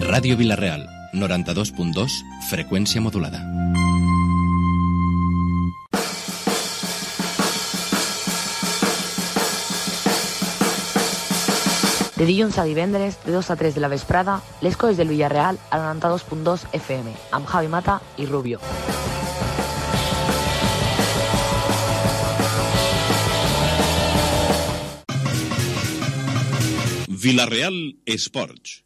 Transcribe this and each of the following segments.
Ràdio Vila-real, 92.2, freqüència modulada. De dilluns a divendres, de 2 a 3 de la vesprada, les coses del Villarreal al 92.2 FM, amb Javi Mata i Rubio. Vila-real Esports.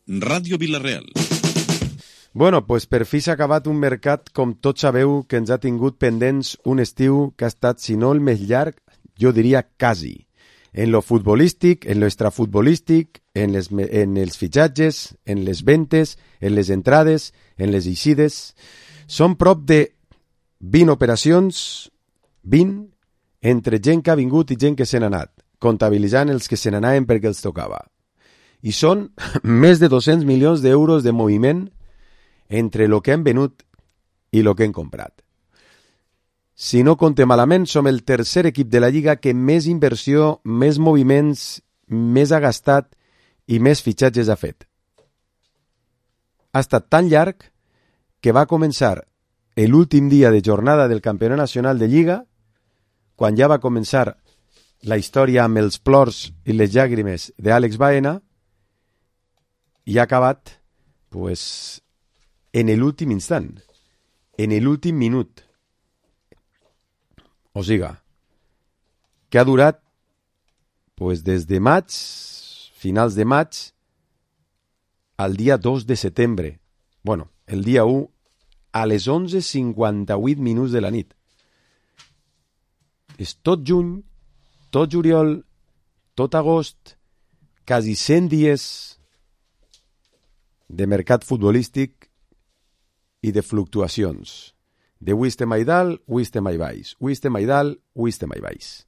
Ràdio Vila-real. Bueno, pues per fi s'ha acabat un mercat, com tots sabeu, que ens ha tingut pendents un estiu que ha estat, si no el més llarg, jo diria quasi. En lo futbolístic, en lo extrafutbolístic, en els fitxatges, en les ventes, en les entrades, en les eixides. Són prop de 20 operacions, 20, entre gent que ha vingut i gent que se n'ha anat, comptabilitzant els que se n'anaven perquè els tocava. I són més de 200 milions d'euros de moviment entre el que hem venut i el que hem comprat. Si no compte malament, som el tercer equip de la Lliga que més inversió, més moviments, més ha gastat i més fitxatges ha fet. Ha estat tan llarg que va començar l'últim dia de jornada del Campionat Nacional de Lliga, quan ja va començar la història amb els plors i les llàgrimes d'Àlex Baena, i ha acabat pues, en l'últim instant, en l'últim minut. O sigui, que ha durat pues, des de maig, finals de maig, al dia 2 de setembre. Bueno, el dia 1, a les 11:58 minuts de la nit. És tot juny, tot juliol, tot agost, quasi 100 dies de mercat futbolístic i de fluctuacions. De avui estem a dalt, avui estem a baix. Avui estem a dalt, avui estem a baix.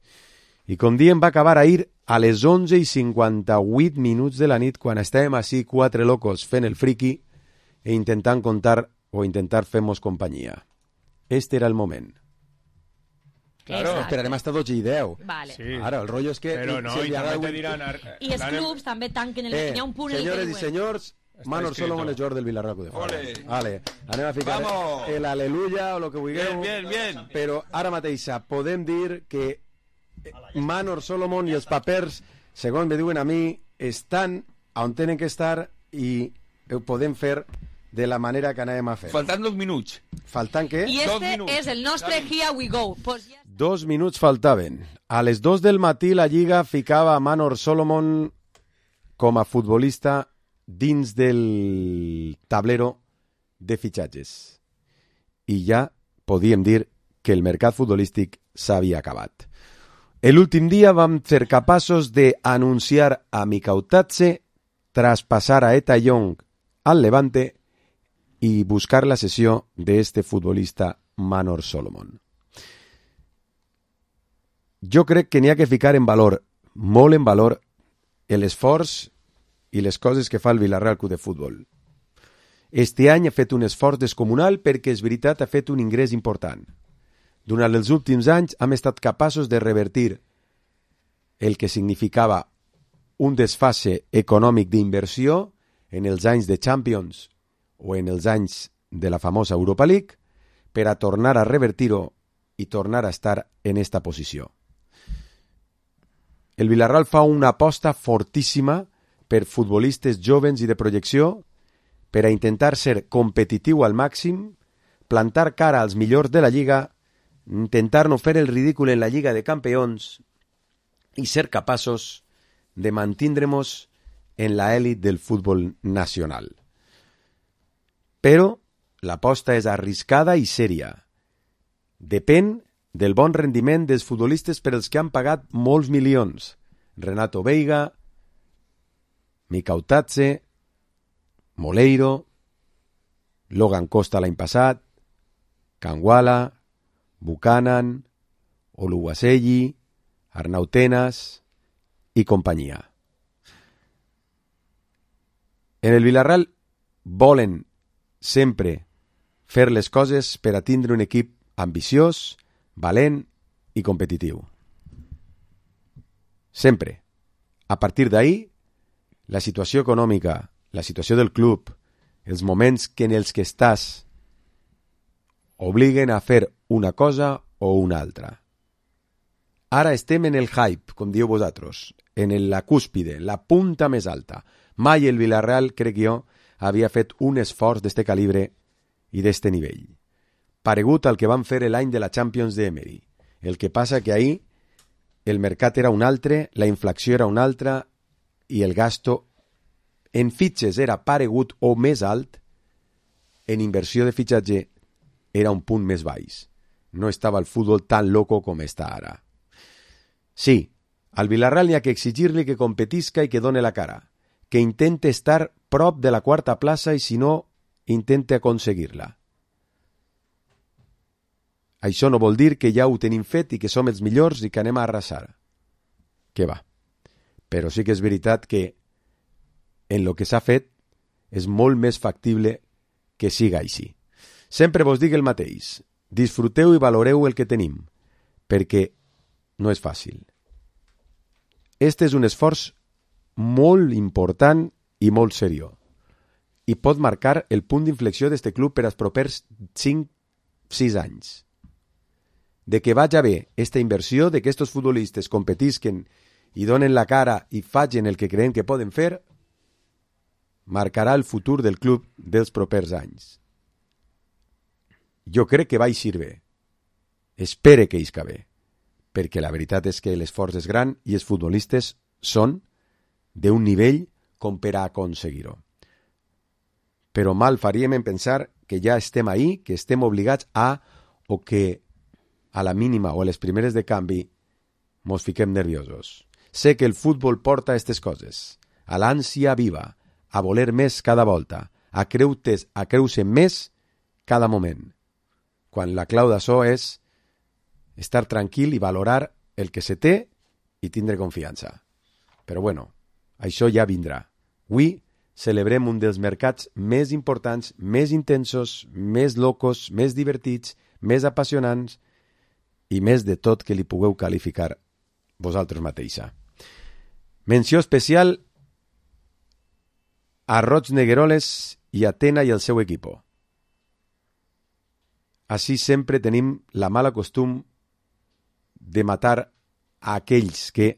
I com diem, va acabar ahir a les 11:58 minuts de la nit, quan estàvem així quatre locos fent el friqui e intentant contar o intentar fer-nos companyia. Este era el moment. Claro, Exacte. esperarem hasta 12 i 10. Vale. Sí. Ara, el rotllo és que... Però no, i també te diran... I els clubs també tanquen el... Hi ha un punt en el que senyores i diuen... senyors, Manor Solomon és jugador del Villarreal de Fora. Vale, anem a ficar el aleluya o lo que vulgueu. Bien. Però ara mateix podem dir que Manor Solomon i els papers, segons me diuen a mi, estan on tenen que estar i ho podem fer de la manera que anem a fer. Faltant 2 minuts. Faltant què? I este és el nostre Here We Go. Pues ja... 2 minuts faltaven. A les 2 del matí la Lliga ficava a Manor Solomon com a futbolista dins del tablero de fitxatges. I ja podíem dir que el mercat futbolístic s'havia acabat. L'últim dia vam ser capaços d'anunciar a Mikautatze, traspassar a Eta Young al Levante i buscar la cessió d'este futbolista Manor Solomon. Jo crec que n'hi ha que ficar en valor, molt en valor, l'esforç i les coses que fa el Villarreal Club de Futbol. Este any ha fet un esforç descomunal perquè, és veritat, ha fet un ingrés important. Durant els últims anys hem estat capaços de revertir el que significava un desfase econòmic d'inversió en els anys de Champions o en els anys de la famosa Europa League per a tornar a revertir-ho i tornar a estar en esta posició. El Villarreal fa una aposta fortíssima per futbolistes jovens i de projecció per a intentar ser competitiu al màxim, plantar cara als millors de la Lliga, intentar no fer el ridícul en la Lliga de Campions i ser capaços de mantindre-nos en la èlit del futbol nacional. Però l'aposta és arriscada i sèria. Depèn del bon rendiment dels futbolistes per als que han pagat molts milions. Renato Veiga, Mikautatze, Moleiro, Logan Costa l'any passat, Kangwala, Buchanan, Oluwaseyi, Arnau Tenas i companyia. En el Villarreal volen sempre fer les coses per a tindre un equip ambiciós, valent i competitiu. Sempre. A partir d'ahir, la situació econòmica, la situació del club, els moments en els que estàs obliguen a fer una cosa o una altra. Ara estem en el hype, com dieu vosaltres, en la cúspide, la punta més alta. Mai el Villarreal, crec jo, havia fet un esforç d'este calibre i d'este nivell. Paregut al que van fer l'any de la Champions d'Emery. El que passa que ahir el mercat era un altre, la inflació era una altra i el gasto en fitxes era paregut o més alt, en inversió de fitxatge era un punt més baix. No estava el futbol tan loco com està ara. Sí, al Villarreal hi ha que exigir-li que competisca i que done la cara, que intente estar prop de la quarta plaça i, si no, intente aconseguir-la. Això no vol dir que ja ho tenim fet i que som els millors i que anem a arrasar. Que va. Però sí que és veritat que en lo que s'ha fet és molt més factible que siga així. Sempre vos dic el mateix. Disfruteu i valoreu el que tenim, perquè no és fàcil. Este és un esforç molt important i molt seriós i pot marcar el punt d'inflexió d'este club per als propers 5-6 anys. De que vaja bé esta inversió, de que estos futbolistes competisquen i donen la cara i facin el que creen que poden fer, marcarà el futur del club dels propers anys. Jo crec que va eixir bé. Espere que isca bé, perquè la veritat és que l'esforç és gran i els futbolistes són d'un nivell com per a aconseguir-ho. Però mal faríem en pensar que ja estem ahí, que estem obligats a, o que a la mínima o a les primeres de canvi mos fiquem nerviosos. Sé que el futbol porta aquestes coses, a l'ànsia viva, a voler més cada volta, a creure més cada moment, quan la clau d'això és estar tranquil i valorar el que se té i tindre confiança. Però bueno, això ja vindrà. Avui celebrem un dels mercats més importants, més intensos, més locos, més divertits, més apassionants i més de tot que li pugueu qualificar vosaltres mateixa. Menció especial a Roig Negueroles i a Tena i el seu equipo. Així sempre tenim la mala costum de matar a aquells que,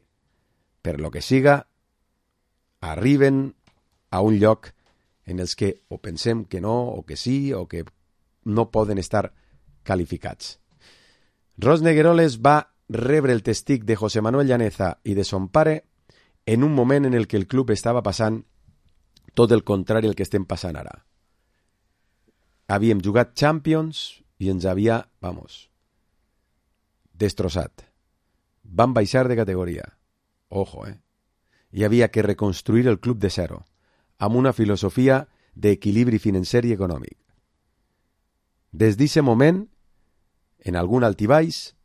per lo que siga, arriben a un lloc en els que o pensem que no, o que sí, o que no poden estar qualificats. Roig Negueroles va rebre el testig de José Manuel Llaneza i de son pare en un moment en el que el club estava passant tot el contrari al que estem passant ara. Havíem jugat Champions i ens havia, destrossat. Vam baixar de categoria. Ojo, Hi havia que reconstruir el club de zero, amb una filosofia d'equilibri financer i econòmic. Des d'aquest moment, en algun altibaix,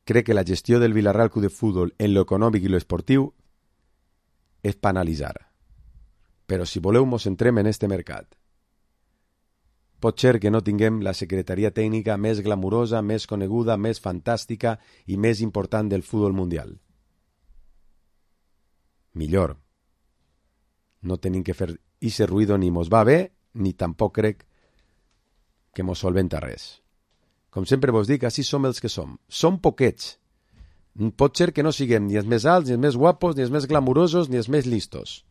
crec que la gestió del Villarreal Club de Futbol en lo econòmic i lo esportiu és per analitzar. Però si voleu, mos centrem en este mercat. Pot ser que no tinguem la secretaria tècnica més glamurosa, més coneguda, més fantàstica i més important del futbol mundial. Millor. No tenim que fer ese ruïdo ni mos va bé, ni tampoc crec que mos solventa res. Com sempre vos dic, així som els que som. Som poquets. Pot ser que no siguem ni els més alts, ni els més guapos, ni els més glamurosos, ni els més listos.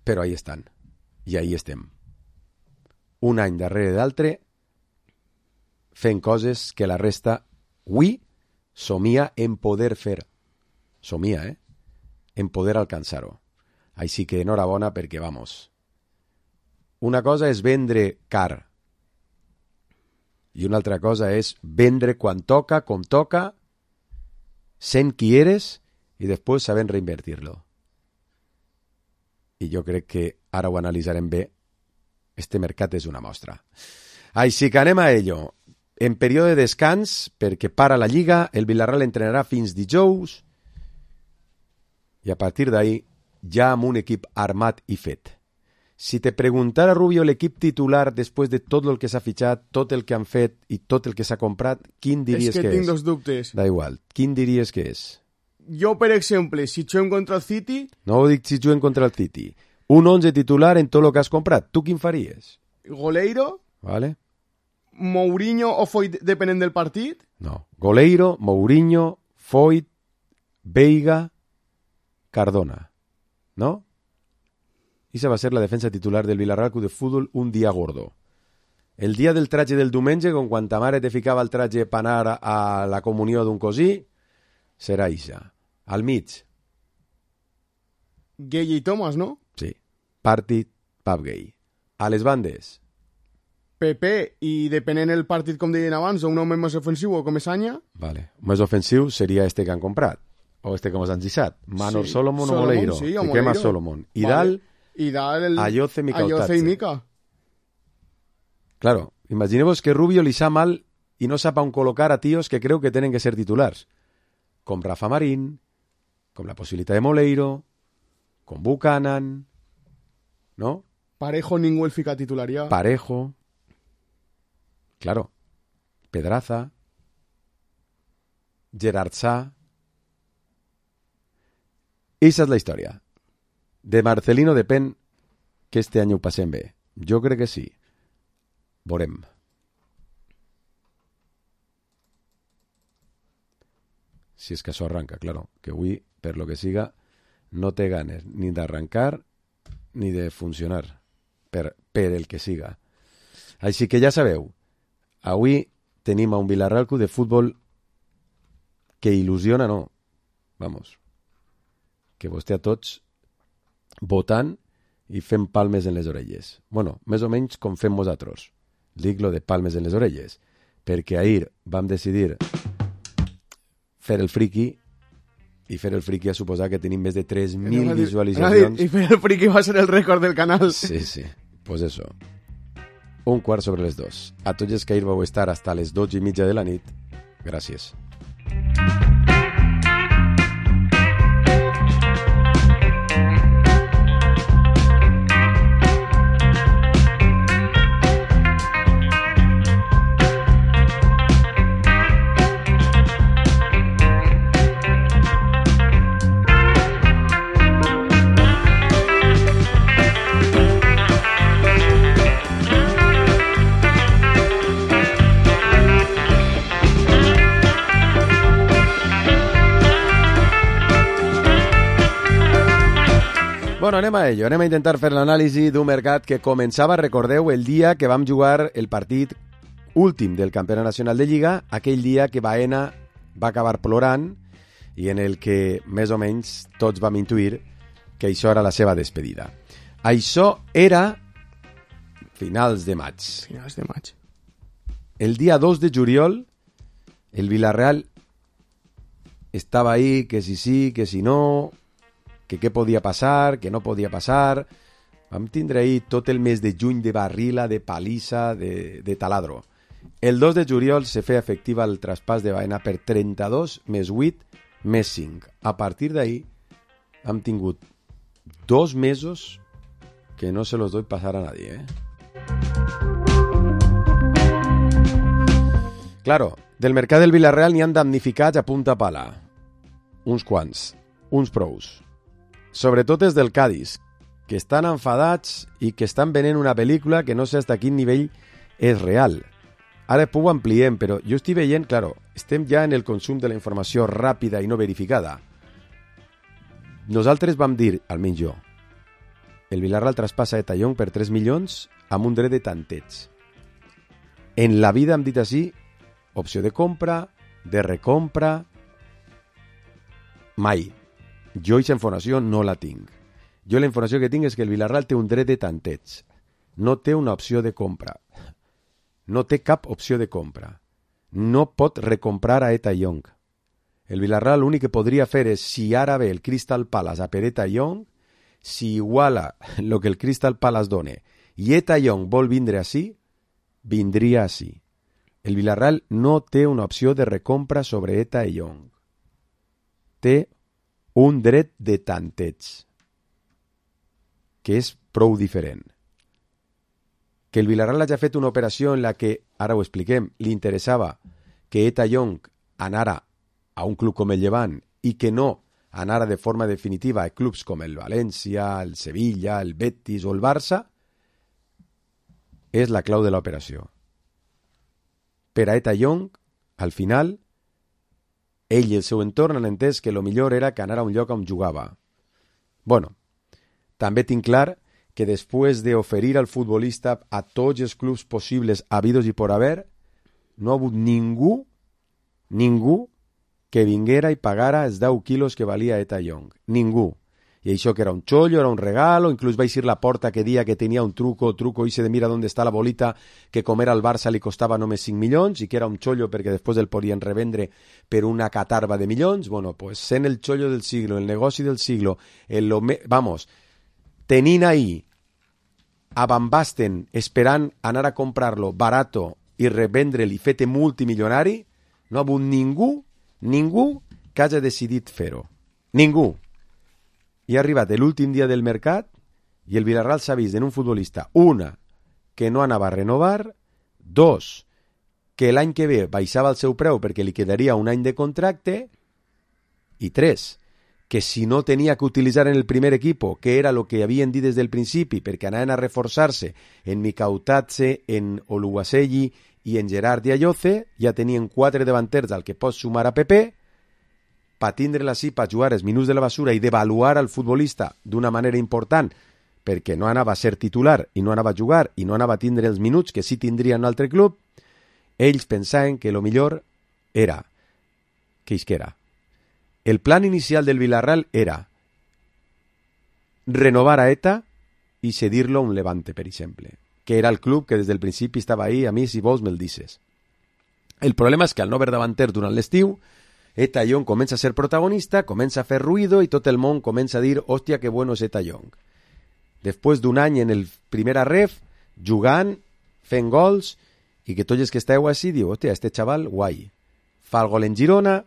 Però ahí estan. I ahí estem. Un any darrere d'altre, fent coses que la resta, avui, somia en poder fer. Somia, en poder alcançar-ho. Així que enhorabona perquè, una cosa és vendre car i una altra cosa és vendre quan toca, com toca, sent qui eres i després sabent reinvertir-lo. I jo crec que ara ho analitzarem bé. Este mercat és una mostra. Així que anem a ello. En període de descans, perquè para la Lliga, el Villarreal entrenarà fins dijous i a partir d'ahí ja amb un equip armat i fet. Si te preguntara, Rubio, l'equip titular després de tot el que s'ha fitxat, tot el que han fet i tot el que s'ha comprat, quin diries que és? És que tinc dos dubtes. Da igual. Quin diries que és? Jo, per exemple, si juguem contra el City... No ho dic si juguem contra el City. Un 11 titular en tot el que has comprat. Tu quin faries? Goleiro, Vale? Mourinho o Foyt, depenent del partit. No. Goleiro, Mourinho, Foyt, Veiga, Cardona. ¿No? Esa va a ser la defensa titular del Villarreal Club de Fútbol un dia gordo. El dia del traje del diumenge, quan ta mare te ficava el traje per anar a la comunió d'un cosí, serà ixa. Al mig, Gueye y Thomas, ¿no? sí, partit pub gay. A les bandes, PP i depenent el partit, com deien abans, o un home més ofensiu o com Esanya. vale. Més ofensiu seria este que han comprat, o este que hemos han deixat. Manor Sí, Solomon o Solomon, Moleiro. sí, o Fiquem a Moleiro. Solomon. I Vale. dalt, I dalt Ayoce, Mica Ayoce Otatze. i Mica. Claro, imagineu-vos que Rubio li sap mal i no sap on col·locar a tios que creu que tenen que ser titulars. Com Rafa Marín, com la possibilitat de Moleiro, com Buchanan, ¿no? Parejo ningú el fica titular ja. Parejo. Claro. Pedraza. Gerard Sá. Esa és la història. De Marcelino depèn que este any ho passem bé. Jo crec que sí. Veurem. Si és que això arranca, claro. Que avui, per lo que siga, no té ganes ni d'arrancar ni de funcionar. Per el que siga. Així que ja sabeu, avui tenim a un Villarreal Club de Futbol que il·lusiona, no. Vamos. Que vostè a tots votant i fem palmes en les orelles. Bueno, més o menys com fem nosaltres. Dic lo de palmes en les orelles. Perquè ahir vam decidir fer el friki i fer el friki ha suposat que tenim més de 3.000 visualitzacions. I fer el friki va ser el rècord del canal. Sí, sí. Pues eso. 1:15. A tots els que ahir vau estar hasta les 12:30 de la nit, gràcies. Bueno, anem a ello. Anem a intentar fer l'anàlisi d'un mercat que començava, recordeu, el dia que vam jugar el partit últim del Campionat Nacional de Lliga, aquell dia que Baena va acabar plorant i en el que, més o menys, tots vam intuir que això era la seva despedida. Això era finals de maig. Finals de maig. El dia 2 de juliol, el Villarreal estava ahí, que si sí, que si no, que què podia passar, que no podia passar. Vam tindre ahí tot el mes de juny de barrila, de palissa, de taladro. El 2 de juliol se feia efectiva el traspàs de Baena per 32 més 8 més 5. A partir d'ahí hem tingut 2 mesos que no se los doy pasar a nadie, Claro, del mercat del Villarreal n'hi han damnificats a punta pala. Uns quants, uns prous. Sobretot els del Cádiz, que estan enfadats i que estan venent una pel·lícula que no sé fins a quin nivell és real. Ara ho ampliem, però jo estic veient, claro, estem ja en el consum de la informació ràpida i no verificada. Nosaltres vam dir, almenys jo, el Villarreal traspassa Eta Young per 3 milions amb un dret de tanteig. En la vida hem dit així, opció de compra, de recompra, mai. Jo aquesta informació no la tinc. Jo la informació que tinc és que el Villarreal té un dret de tanteig. No té una opció de compra. No té cap opció de compra. No pot recomprar a Eta Young. El Villarreal l'únic que podria fer és, si ara ve el Crystal Palace a per Eta Young, si iguala el que el Crystal Palace done i Eta Young vol vindre així, vindria així. El Villarreal no té una opció de recompra sobre Eta Young. Té un dret de tanteig, que és prou diferent. Que el Villarreal hagi fet una operació en la que, ara ho expliquem, li interessava que Eta Young anara a un club com el Llevant i que no anara de forma definitiva a clubs com el València, el Sevilla, el Betis o el Barça, és la clau de l'operació. Per a Eta Young, al final, ell i el seu entorn han entès que el millor era que anara a un lloc on jugava. Bueno, també tinc clar que després d'oferir al futbolista a tots els clubs possibles habidos i por haver, no ha hagut ningú que vinguera i pagara els 10 quilos que valia Eta Young. Ningú. I això que era un chollo, era un regalo, inclús va eixir la porta que dia que tenia un truco ese de mira dónde está la bolita, que com era el Barça li costava només 5 milions i que era un chollo perquè després el podien revendre per una catarba de milions. Bueno, pues sent el chollo del siglo, el negoci del siglo, tenint ahí a Van Basten esperant anar a comprar-lo barato i revendre'l i fet-te multimilionari, no ha hagut ningú que hagi decidit fer-ho. Ningú. I ha arribat l'últim dia del mercat i el Villarreal s'ha vist en un futbolista, una, que no anava a renovar, dos, que l'any que ve baixava el seu preu perquè li quedaria un any de contracte, i tres, que si no tenia que utilitzar en el primer equipo, que era el que havien dit des del principi, perquè anaven a reforçar-se en Mikautatze, en Oluwaseyi i en Gerard Dialloce, ja tenien 4 davanters al que pots sumar a Pepe, per tindre-la així, per jugar els minuts de la basura i devaluar al futbolista d'una manera important, perquè no anava a ser titular i no anava a jugar i no anava a tindre els minuts que sí tindria en un altre club, ells pensaven que el millor era que isquera. El plan inicial del Villarreal era renovar a Eta i cedir-lo a un Levante, per exemple, que era el club que des del principi estava ahí, a mi si vols me'l dices. El problema és que al no haver davanter durant l'estiu, Eta Young comença a ser protagonista, comença a fer ruido i tot el món comença a dir hòstia, que bueno és Eta Young. Després d'un any en el primera ref, jugant, fent gols, i que tots els que esteu així diu, hòstia, este xaval, guai. Fa el gol en Girona,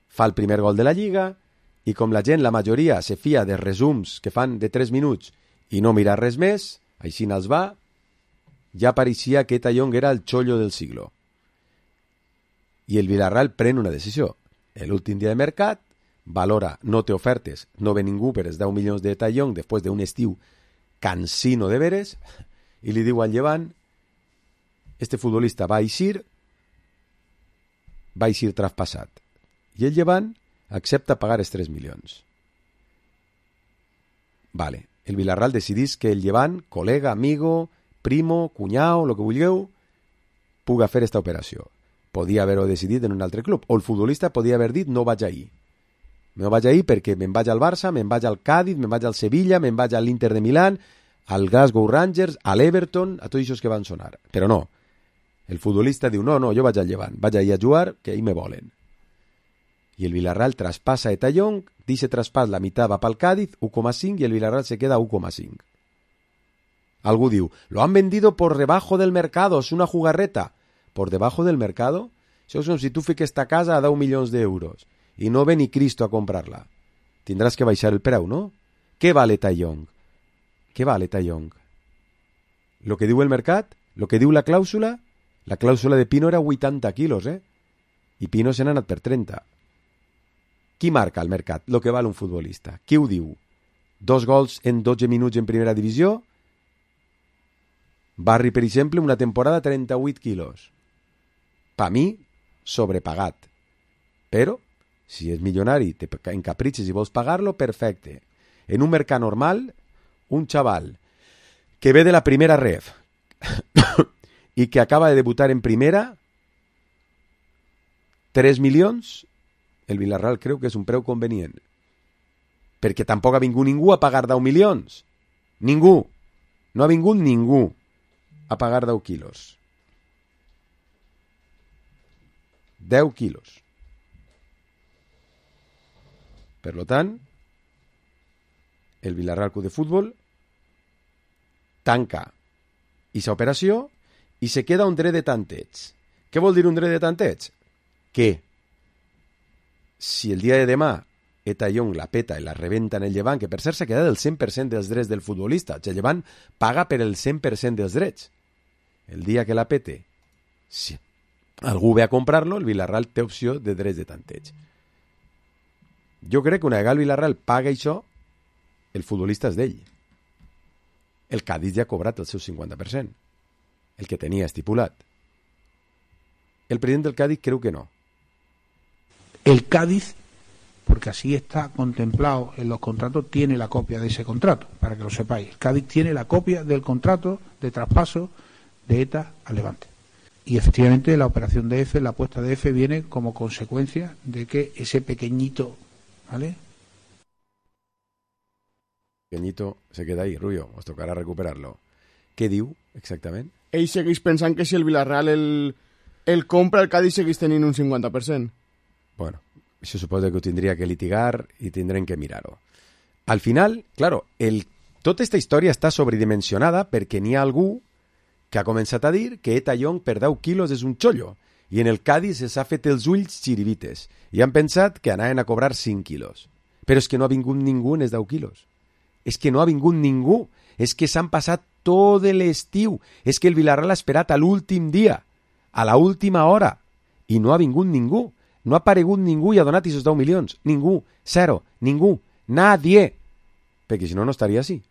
fa el primer gol de la Lliga, i com la gent, la majoria, se fia de resums que fan de 3 minuts i no mirar res més, així n'els va, ja pareixia que Eta Young era el chollo del siglo. I el Villarreal pren una decisió. L'últim dia de mercat, valora, no té ofertes, no ve ningú per els 10 milions d'Eta Young després d'un estiu cansino de veres, i li diu al Llevant, este futbolista va eixir traspassat. I el Llevant accepta pagar els 3 milions. Vale, el Villarreal decidís que el Llevant, col·lega, amigo, primo, cunyau, lo que vulgueu, puga fer esta operació. Podia haver-ho decidit en un altre club, o el futbolista podia haver dit no vaig ahir. No vaig ahir perquè me'n vaig al Barça, me'n vaig al Cádiz, me'n vaig al Sevilla, me'n vaig a l'Inter de Milán, al Glasgow Rangers, a l'Everton, a tots aquests que van sonar. Però no, el futbolista diu no, jo vaig al Llevant, vaig ahir a jugar, que ahir me volen. I el Villarreal traspassa a Eta Young, dice traspàs la meitat va pel Cádiz, 1,5, i el Villarreal se queda 1,5. Algú diu, lo han vendido por debajo del mercado, es una jugarreta. Por debajo del mercado? Això és com si tu fiques esta casa a 10 milions d'euros i no ve ni Cristo a comprar-la. Tindràs que baixar el preu, no? Què val Eta Young? Què val Eta Young? Lo que diu el mercat? Lo que diu la clàusula? La clàusula de Pino era 80 quilos, I Pino se n'ha anat per 30. Qui marca al mercat lo que val un futbolista? Qui ho diu? 2 gols en 12 minuts en primera divisió? Barri, per exemple, una temporada 38 quilos. Pa mi, sobrepagat. Però, si és milionari, te encapritxes i vols pagar-lo, perfecte. En un mercat normal, un xaval que ve de la primera ref i que acaba de debutar en primera, 3 milions, el Villarreal creu que és un preu convenient. Perquè tampoc ha vingut ningú a pagar 10 milions. Ningú. No ha vingut ningú a pagar 10 quilos. 10 quilos. Per lo tant, el Villarreal Club de Futbol tanca aquesta operació i se queda un dret de tanteig. Què vol dir un dret de tanteig? Que si el dia de demà Eta Young la peta i la rebenta en el Llevant, que per cert s'ha quedat el 100% dels drets del futbolista, el Llevant paga per el 100% dels drets. El dia que la pete, si algú ve a comprar-lo, el Villarreal té opció de drets de tanteig. Jo crec que una vegada el Villarreal paga això, el futbolista és d'ell. El Cádiz ja ha cobrat el seu 50%, el que tenia estipulat. El presidente del Cádiz creo que no. El Cádiz, porque así está contemplado en los contratos, tiene la copia de ese contrato, para que lo sepáis. El Cádiz tiene la copia del contrato de traspaso de ETA al Levante. Y efectivamente la operación de EFE, la apuesta de EFE, viene como consecuencia de que ese pequeñito, ¿vale? Pequeñito se queda ahí, Rubio, os tocarà recuperar-lo. Què diu, exactament? Ell segueix pensant que si el Villarreal el compra, el Cádiz segueix tenint un 50%. Bueno, això suposa que ho tindria que litigar i tindrem que mirar-ho. Al final, claro, tota aquesta història està sobredimensionada perquè n'hi ha algú que ha començat a dir que Eta Young per 10 quilos és un xollo i en el Cádiz s'ha fet els ulls xiribites i han pensat que anaven a cobrar 5 quilos. Però és que no ha vingut ningú en els 10 quilos. És que no ha vingut ningú. És que s'han passat tot l'estiu. És que el Villarreal ha esperat a l'últim dia, a la última hora, i no ha vingut ningú. No ha aparegut ningú i ha donat aquests 10 milions. Ningú. Zero. Ningú. Nadie. Perquè si no, no estaria així.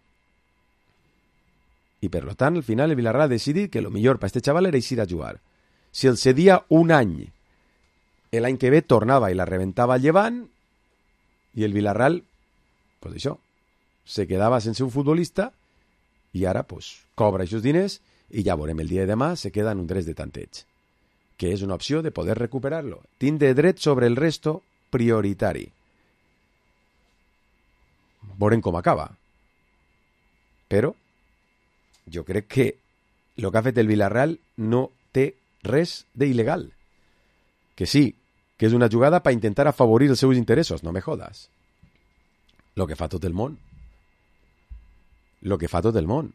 I per tant, al final el Villarreal ha decidit que el millor per a este xaval era eixir a jugar. Si el cedia un any, l'any que ve tornava i la reventava al Llevant, i el Villarreal, pues això, se quedava sense un futbolista i ara pues, cobra aquests diners i ja veurem el dia de demà se queda en un dret de tanteig, que és una opció de poder recuperar-lo. Tindre dret sobre el resto prioritari. Veurem com acaba. Però jo crec que el que ha fet el Villarreal no té res d'il·legal. Que sí, que és una jugada per intentar afavorir els seus interessos, no me jodas. Lo que fa tot el món. Lo que fa tot el món.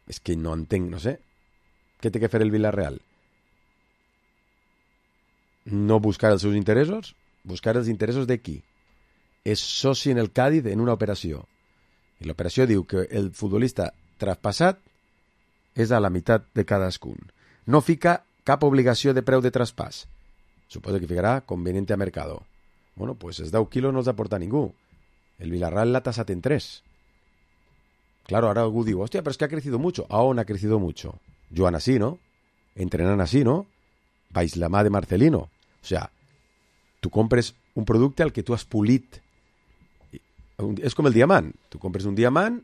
És que no entenc, no sé. Què té que fer el Villarreal? No buscar els seus interessos? Buscar els interessos de qui? És soci en el Cádiz en una operació. I l'operació diu que el futbolista traspassat és a la meitat de cadascun. No fica cap obligació de preu de traspàs. Suposo que ficarà conveniente a mercado. Bueno, pues els 10 quilos no els aporta ningú. El Villarreal l'ha tasat en 3. Claro, ahora algú diu, hostia, pero es que ha crecido mucho. ¿A on ha crecido mucho? Joan así, ¿no? Entrenan así, ¿no? Vais la mà de Marcelino. O sea, tu compres un producte al que tu has polit. És com el diamant. Tu compres un diamant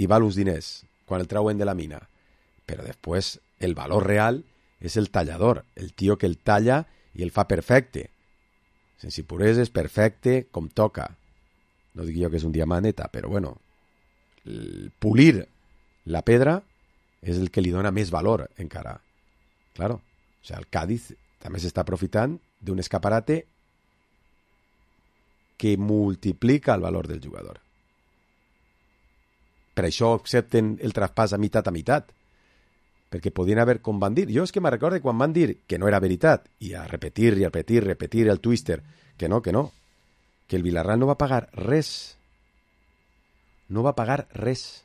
i val uns diners quan el trauen de la mina. Però després el valor real és el tallador, el tio que el talla i el fa perfecte. Sense impureses, perfecte, com toca. No dic jo que és un diamanteta, però bueno, pulir la pedra és el que li dona més valor encara. Claro, o sea, el Cádiz també s'està aprofitant d'un escaparate que multiplica el valor del jugador. Per això accepten el traspàs a meitat, perquè podien haver, com van dir, jo és que me recordo quan van dir que no era veritat, i a repetir el twister, que no, que el Villarreal no va pagar res. No va pagar res.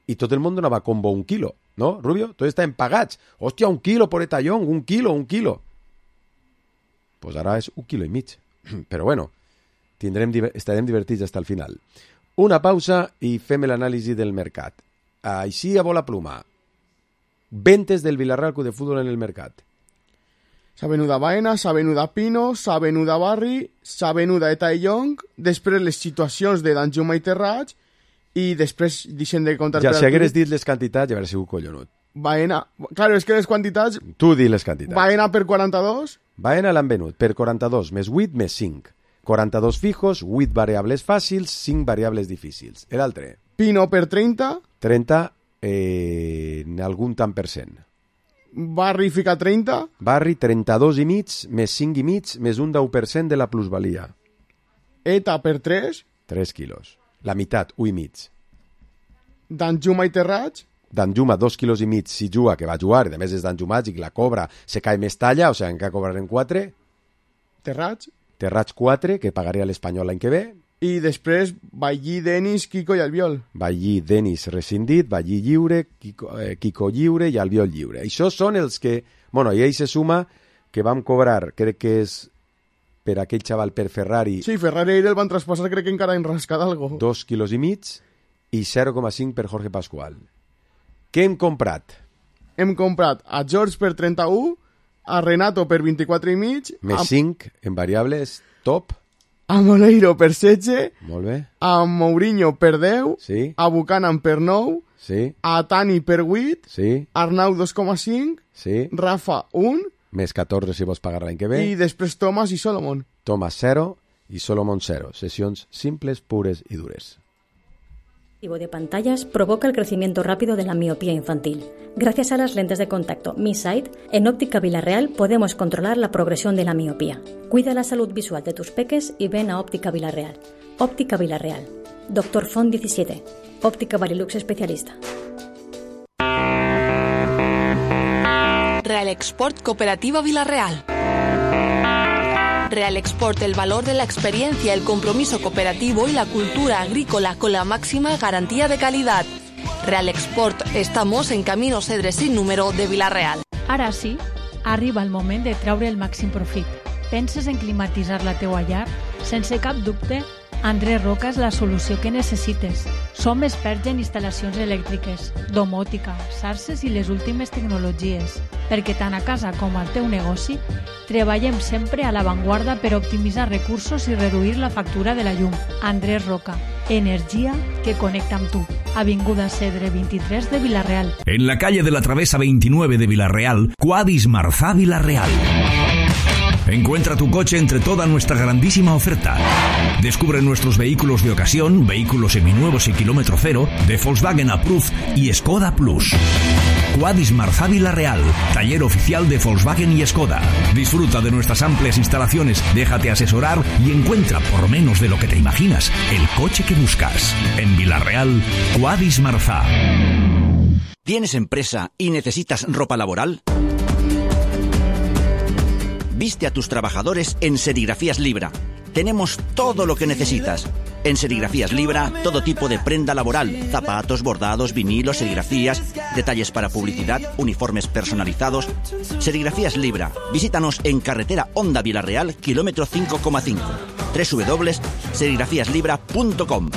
I tot el món donava combo 1 quilo, no, Rubio? Tots estaven pagats. Hòstia, 1 quilo por Eta Young, 1 quilo. Pues ara és 1,5 quilos. Però bueno, estarem divertits fins al final. Una pausa i fem l'anàlisi del mercat. Així a bola pluma. Ventes del Villarreal Club de Fútbol en el mercat. S'ha venut a Baena, s'ha venut a Pino, s'ha venut a Barri, s'ha venut a Eta Young, després les situacions de Danjuma i Terrats, i després deixem de comptar... Ja, si hagueres dit les quantitats, ja hauria sigut collonut. Baena... Claro, és que les quantitats... Tu di les quantitats. Baena per 42... Baena l'han venut per 42, més 8, més 5. 42 fijos, 8 variables fàcils, 5 variables difícils. L'altre? Pino per 30. 30, en algun tant per cent. Barri fica 30. Barri 32 i mig, més 5 i mig, més un 10% de la plusvalia. Eta per 3. 3 quilos. La meitat, 1 i mig. Danjuma i Terrats. Danjuma, 2 quilos i mig si juga, que va jugar, i a més és Danjuma i la cobra, se cae més talla, o sigui, encara cobrarem 4. Terrats 4, que pagaria l'Espanyol l'any que ve. I després Ballí, Denis, Kiko i Albiol. Ballí, Denis rescindit, Ballí lliure, Kiko lliure i Albiol lliure. Això són els que Bueno, i ell se suma que vam cobrar, crec que és per aquell xaval per Ferrari... Sí, Ferrari el van traspassar, crec que encara han rascat algo. 2,5 quilos i 0,5 per Jorge Pascual. Què hem comprat? Hem comprat a George per 31, a Renato per 24,5... Més 5 en variables, top. A Moleiro per 16... Molt bé. A Mourinho per 10... Sí. A Buchanan per 9... Sí. A Tani per 8... Sí. Arnau 2,5... Sí. Rafa 1... Més 14 si vols pagar l'any que ve. I després Thomas i Solomon. Thomas 0 i Solomon 0. Sesiones simples, pures y dures. El de pantallas provoca el crecimiento rápido de la miopía infantil. Gracias a las lentes de contacto Mi Sight, en Óptica Villarreal podemos controlar la progresión de la miopía. Cuida la salud visual de tus peques y ven a Óptica Villarreal. Óptica Villarreal. Dr. Font 17. Óptica Varilux especialista. Real Export Cooperativa Villarreal. Real Export, el valor de la experiencia, el compromiso cooperativo y la cultura agrícola con la máxima garantía de calidad. Real Export, estamos en Camino Cedre sin número de Villarreal. Ara sí, arriba el moment de treure el màxim profit. Penses en climatitzar la teua llar? Sense cap dubte, Andrés Roca és la solució que necessites. Som experts en instal·lacions elèctriques, domòtica, xarxes i les últimes tecnologies, perquè tant a casa com al teu negoci treballem sempre a l'avantguarda per optimitzar recursos i reduir la factura de la llum. Andrés Roca, energia que connecta amb tu. Avinguda Cedre 23 de Villarreal. En la calle de la Travesa 29 de Villarreal, Quadis Marzá Villarreal. Encuentra tu coche entre toda nuestra grandísima oferta. Descubre nuestros vehículos de ocasión, vehículos seminuevos y kilómetro cero, de Volkswagen Approved y Skoda Plus. Quadis Marzá Villarreal, taller oficial de Volkswagen y Skoda. Disfruta de nuestras amplias instalaciones, déjate asesorar y encuentra, por menos de lo que te imaginas, el coche que buscas. En Villarreal, Quadis Marzá. ¿Tienes empresa y necesitas ropa laboral? Viste a tus trabajadores en Serigrafías Libra. Tenemos todo lo que necesitas. En Serigrafías Libra, todo tipo de prenda laboral, zapatos, bordados, vinilos, serigrafías, detalles para publicidad, uniformes personalizados. Serigrafías Libra. Visítanos en carretera Honda Villarreal, kilómetro 5,5. www.serigrafiaslibra.com.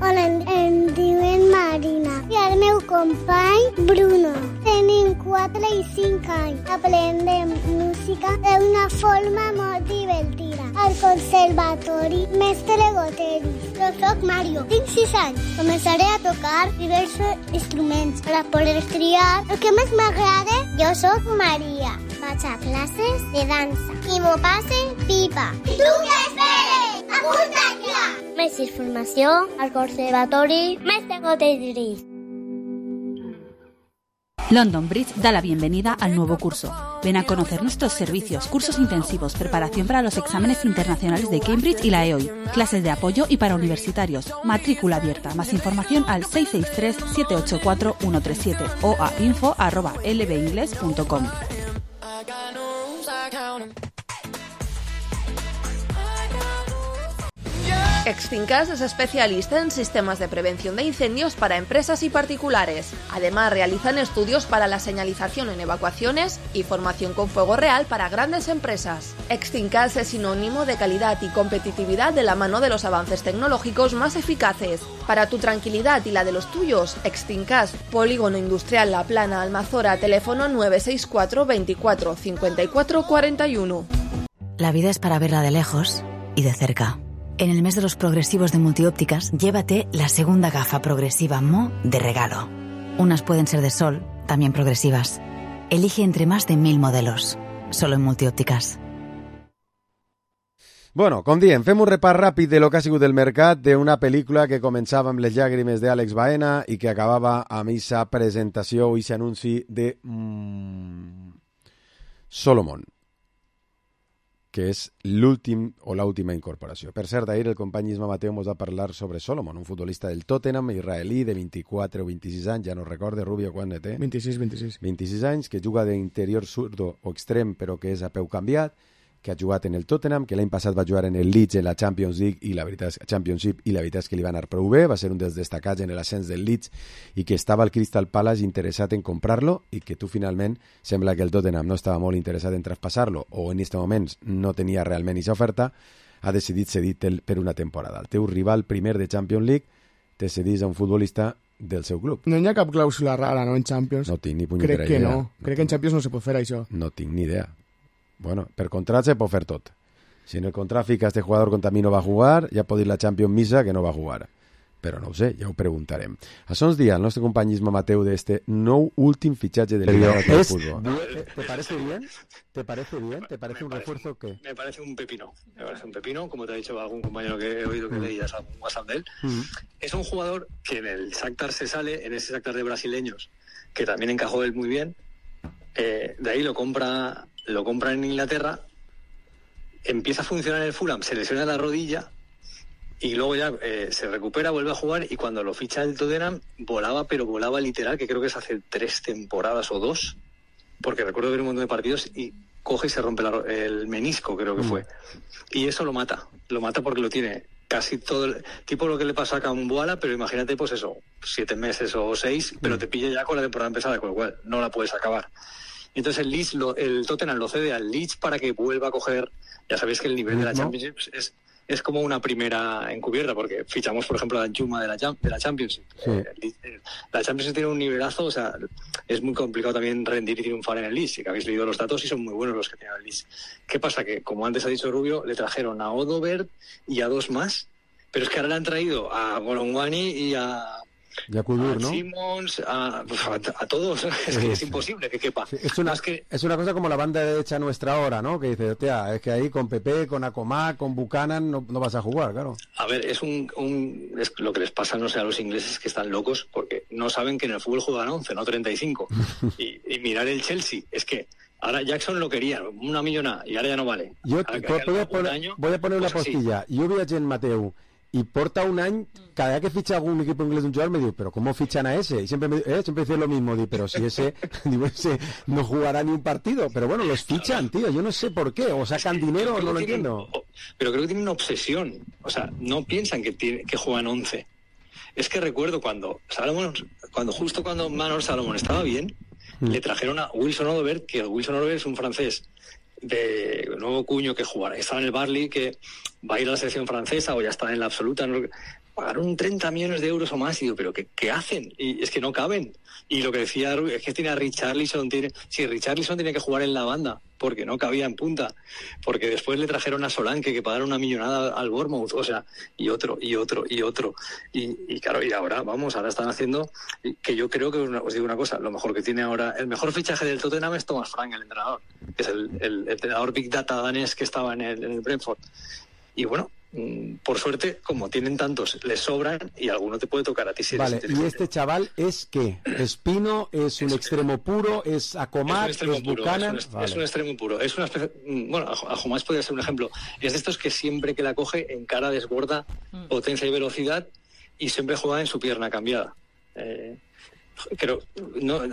Hola, em diuen Marina i el meu company Bruno. Tenim 4 i 5 anys. Aprendem música d'una forma molt divertida. Al conservatori Mestre Goteri. Jo soc Mario, tinc 6 anys. Començaré a tocar diversos instruments per a poder triar el que més m'agrada. Jo soc Maria. Vaig a classes de dansa i m'ho passe pipa. I tu què esperes? Apunta't ja! Més informació al conservatori Mestre Goteri. London Bridge da la bienvenida al nuevo curso. Ven a conocer nuestros servicios, cursos intensivos, preparación para los exámenes internacionales de Cambridge y la EOI, clases de apoyo y para universitarios, matrícula abierta. Más información al 663-784-137 o a info@lbingles.com. Extincas es especialista en sistemas de prevención de incendios para empresas y particulares. Además, realizan estudios para la señalización en evacuaciones y formación con fuego real para grandes empresas. Extincas es sinónimo de calidad y competitividad de la mano de los avances tecnológicos más eficaces. Para tu tranquilidad y la de los tuyos, Extincas, Polígono Industrial La Plana, Almazora, teléfono 964 24 54 41. La vida es para verla de lejos y de cerca. En el mes de los progresivos de Multiópticas, llévate la segunda gafa progresiva Mo de regalo. Unas pueden ser de sol, también progresivas. Elige entre más de 1000 modelos. Solo en Multiópticas. Bueno, com diem, fem un repàs ràpid de lo que ha sigut el mercat d'una pel·lícula que començava amb les llàgrimes d'Àlex Baena i que acabava amb aquesta presentació o aquest anunci de Solomon, que és l'últim o l'última incorporació. Per cert, ahir el company Isma Mateo ens va parlar sobre Solomon, un futbolista del Tottenham, israelí, de 24 o 26 anys, ja no recorde, Rubio, quan té? 26. 26 anys, que juga d'interior zurdo o extrem, però que és a peu canviat, que ha jugat en el Tottenham, que l'any passat va jugar en el Leeds en la Champions League i la veritat és que li va anar prou bé, va ser un dels destacats en l'ascens del Leeds i que estava al Crystal Palace interessat en comprar-lo i que tu finalment sembla que el Tottenham no estava molt interessat en traspassar-lo o en aquest moment no tenia realment aquesta oferta, ha decidit cedir per una temporada. El teu rival primer de Champions League te cedís a un futbolista del seu club. No hi ha cap clàusula rara, no, en Champions? No tinc ni punyetera idea. Crec que no. Crec que en Champions no se pot fer això. No tinc ni idea. Bueno, per contrat se pot fer tot. Si en el contrat fica este jugador contra mi no va jugar, ja pot dir la Champions missa que no va jugar. Però no ho sé, ja ho preguntarem. Això ens dia el nostre company Isma Mateu de este nou últim fitxatge del Liga de Fútbol. ¿Te parece bien? ¿Te parece bien? ¿Te parece un refuerzo que? Me parece un pepino. Me parece un pepino, como te ha dicho algún compañero que he oído que leías algún WhatsApp de él. Es un jugador que en el Shakhtar se sale, en ese Shakhtar de brasileños, que también encajó él muy bien. De ahí lo compra en Inglaterra, empieza a funcionar en el Fulham, se lesiona la rodilla y luego ya se recupera, vuelve a jugar y cuando lo ficha el Tottenham volaba literal, que creo que es hace 3 temporadas o 2, porque recuerdo ver un montón de partidos y coge y se rompe el menisco, creo que fue. Y eso lo mata porque lo tiene casi todo, tipo lo que le pasa a Kambuala, pero imagínate pues eso, 7 meses o 6, pero te pilla ya con la temporada empezada, con lo cual no la puedes acabar. Entonces el Tottenham lo cede al Leeds para que vuelva a coger, ya sabéis que el nivel de la Championship es como una primera encubierta, porque fichamos, por ejemplo, a Danjuma de la Championship. Sí. La Championship tiene un nivelazo, o sea, es muy complicado también rendir y triunfar en el Leeds, que habéis leído los datos y son muy buenos los que tiene el Leeds. ¿Qué pasa? Que, como antes ha dicho Rubio, le trajeron a Odobert y a 2 más, pero es que ahora le han traído a Golongwani y a Kudur, ¿no? Simmons, a todos, es que es imposible que quepa. Sí, es una cosa como la banda derecha nuestra ahora, ¿no? Que dice, hostia, es que ahí con Pepe, con Acomá, con Buchanan no vas a jugar, claro. A ver, es lo que les pasa, no sé, a los ingleses, que están locos porque no saben que en el fútbol juegan 11, no 35. y mirar el Chelsea, es que ahora Jackson lo quería, una millonada, y ahora ya no vale. Yo voy a poner una postilla. Yo vi a Gen Mateu y porta un año, cada vez que ficha algún equipo inglés de un jugador me digo, pero ¿cómo fichan a ese? Y siempre dice lo mismo, digo, pero si ese no jugará ni un partido, pero bueno, los fichan, tío, yo no sé por qué, o sacan dinero, no lo entiendo. Pero creo que tienen una obsesión, o sea, no piensan que juegan 11. Es que recuerdo cuando Manor Salomón estaba bien, le trajeron a Wilson Odobert, que Wilson Odobert es un francés de nuevo cuño que jugará, estaba en el Barley, que va a ir a la selección francesa o ya está en la absoluta, ¿no? Pagaron 30 millones de euros o más y digo, ¿pero qué hacen? Y es que no caben. Y lo que decía es que tiene a Richarlison, Richarlison tiene que jugar en la banda porque no cabía en punta, porque después le trajeron a Solanke que pagaron una millonada al Bournemouth, o sea, y otro y claro, y ahora están haciendo, que yo creo que os digo una cosa, lo mejor que tiene ahora, el mejor fichaje del Tottenham es Thomas Frank, el entrenador, que es el entrenador Big Data danés que estaba en el Brentford. Y bueno, por suerte, como tienen tantos, les sobran y alguno te puede tocar a ti si eres inteligente. ¿Y este chaval es qué? ¿Es Pino? ¿Es un extremo puro? ¿Es Acomat? ¿Es Buchanan? Es un extremo puro. Es una especie, bueno, Ajomás podría ser un ejemplo. Es de estos que siempre que la coge encara, desborda, potencia y velocidad y siempre juega en su pierna cambiada.